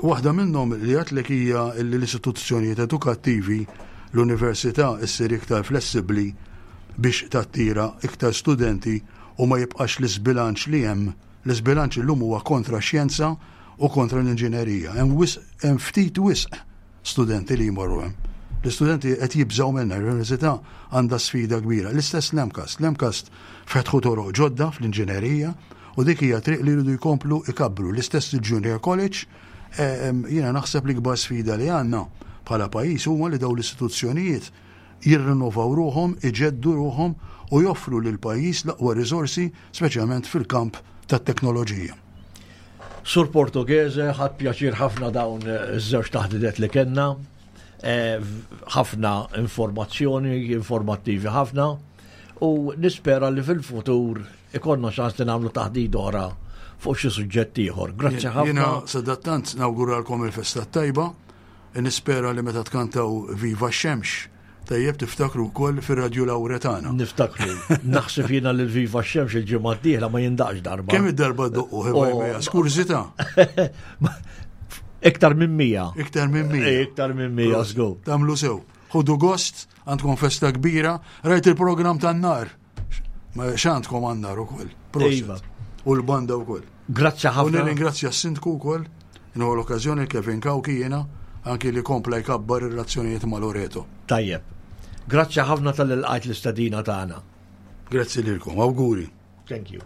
Speaker 3: Waħda minnhom li għedtlek hija li l-istituzzjonijiet edukattivi, l-università issir iktar flessibbli biex tattira iktar studenti u ma jibqax l-iżbilanċ li hemm. L-iżbilanċ illum huwa kontra x-xjenza u kontra l-inġinerija. Hemm wisq, hemm ftit wisq studenti li jmorru hemm. L-istudenti qed jibżgħu minnha, l-università għandha sfida kbira. L-istess l-MCAST. L-MCAST fetħu toroq ġodda fl-inġinerija u dik hija triq li jridu jkomplu ikabbru. L-istess il-Junior College, eh, jiena naħseb li kbar sfida li għandna bħala pajjiż huma li dawn l-istituzzjonijiet jirrinnovaw ruħhom, iġeddu ruħhom u joffru lil pajjiż l-aqwa riżorsi, speċjalment fil-kamp tat-teknoloġija.
Speaker 2: Sur Portoghese, ħadt pjaċir ħafna dawn iż-żewġ taħdidet li kellna. Eh, ħafna informazzjoni, informattivi ħafna. U nispera li fil-futur ikonna ċans li nagħmlu taħdid oħra fuq xi suġġett ieħor. Grazzi ħafna.
Speaker 3: Jiena sadattant nawguralkom il-festa tajba, nispera li meta tkantaw Viva x-Xemx, tajjeb tiftakru wkoll fir-Radju Lawretana.
Speaker 2: Niftakru. Naħseb jiena li Viva x-Xemx il-ġimgħa d-dieħla ma jindaqx darba.
Speaker 3: Kemm id-darba doqqu oh. Skurzita.
Speaker 2: Iktar minn mija.
Speaker 3: Iktar minn mija.
Speaker 2: Eh, iktar minn mija, żgur.
Speaker 3: Tagħmlu sew. Ħudu gost, għandkom festa kbira, rajt il-programm tan-nar. X'għandkom għan-nar ukoll.
Speaker 2: Iva.
Speaker 3: U l-banda wkoll.
Speaker 2: Grazzi ħafna.
Speaker 3: U nirringrazzja s-sindku wkoll, nieħu l-okkażjoni Kevin Kawki jiena anki li kompla jkabbar ir-relazzjonijiet ma' Loreto.
Speaker 2: Tajjeb. Grazzi ħafna tal-ilqajt l-istadina tagħna.
Speaker 3: Grazzi lilkom, awguri.
Speaker 2: Thank you.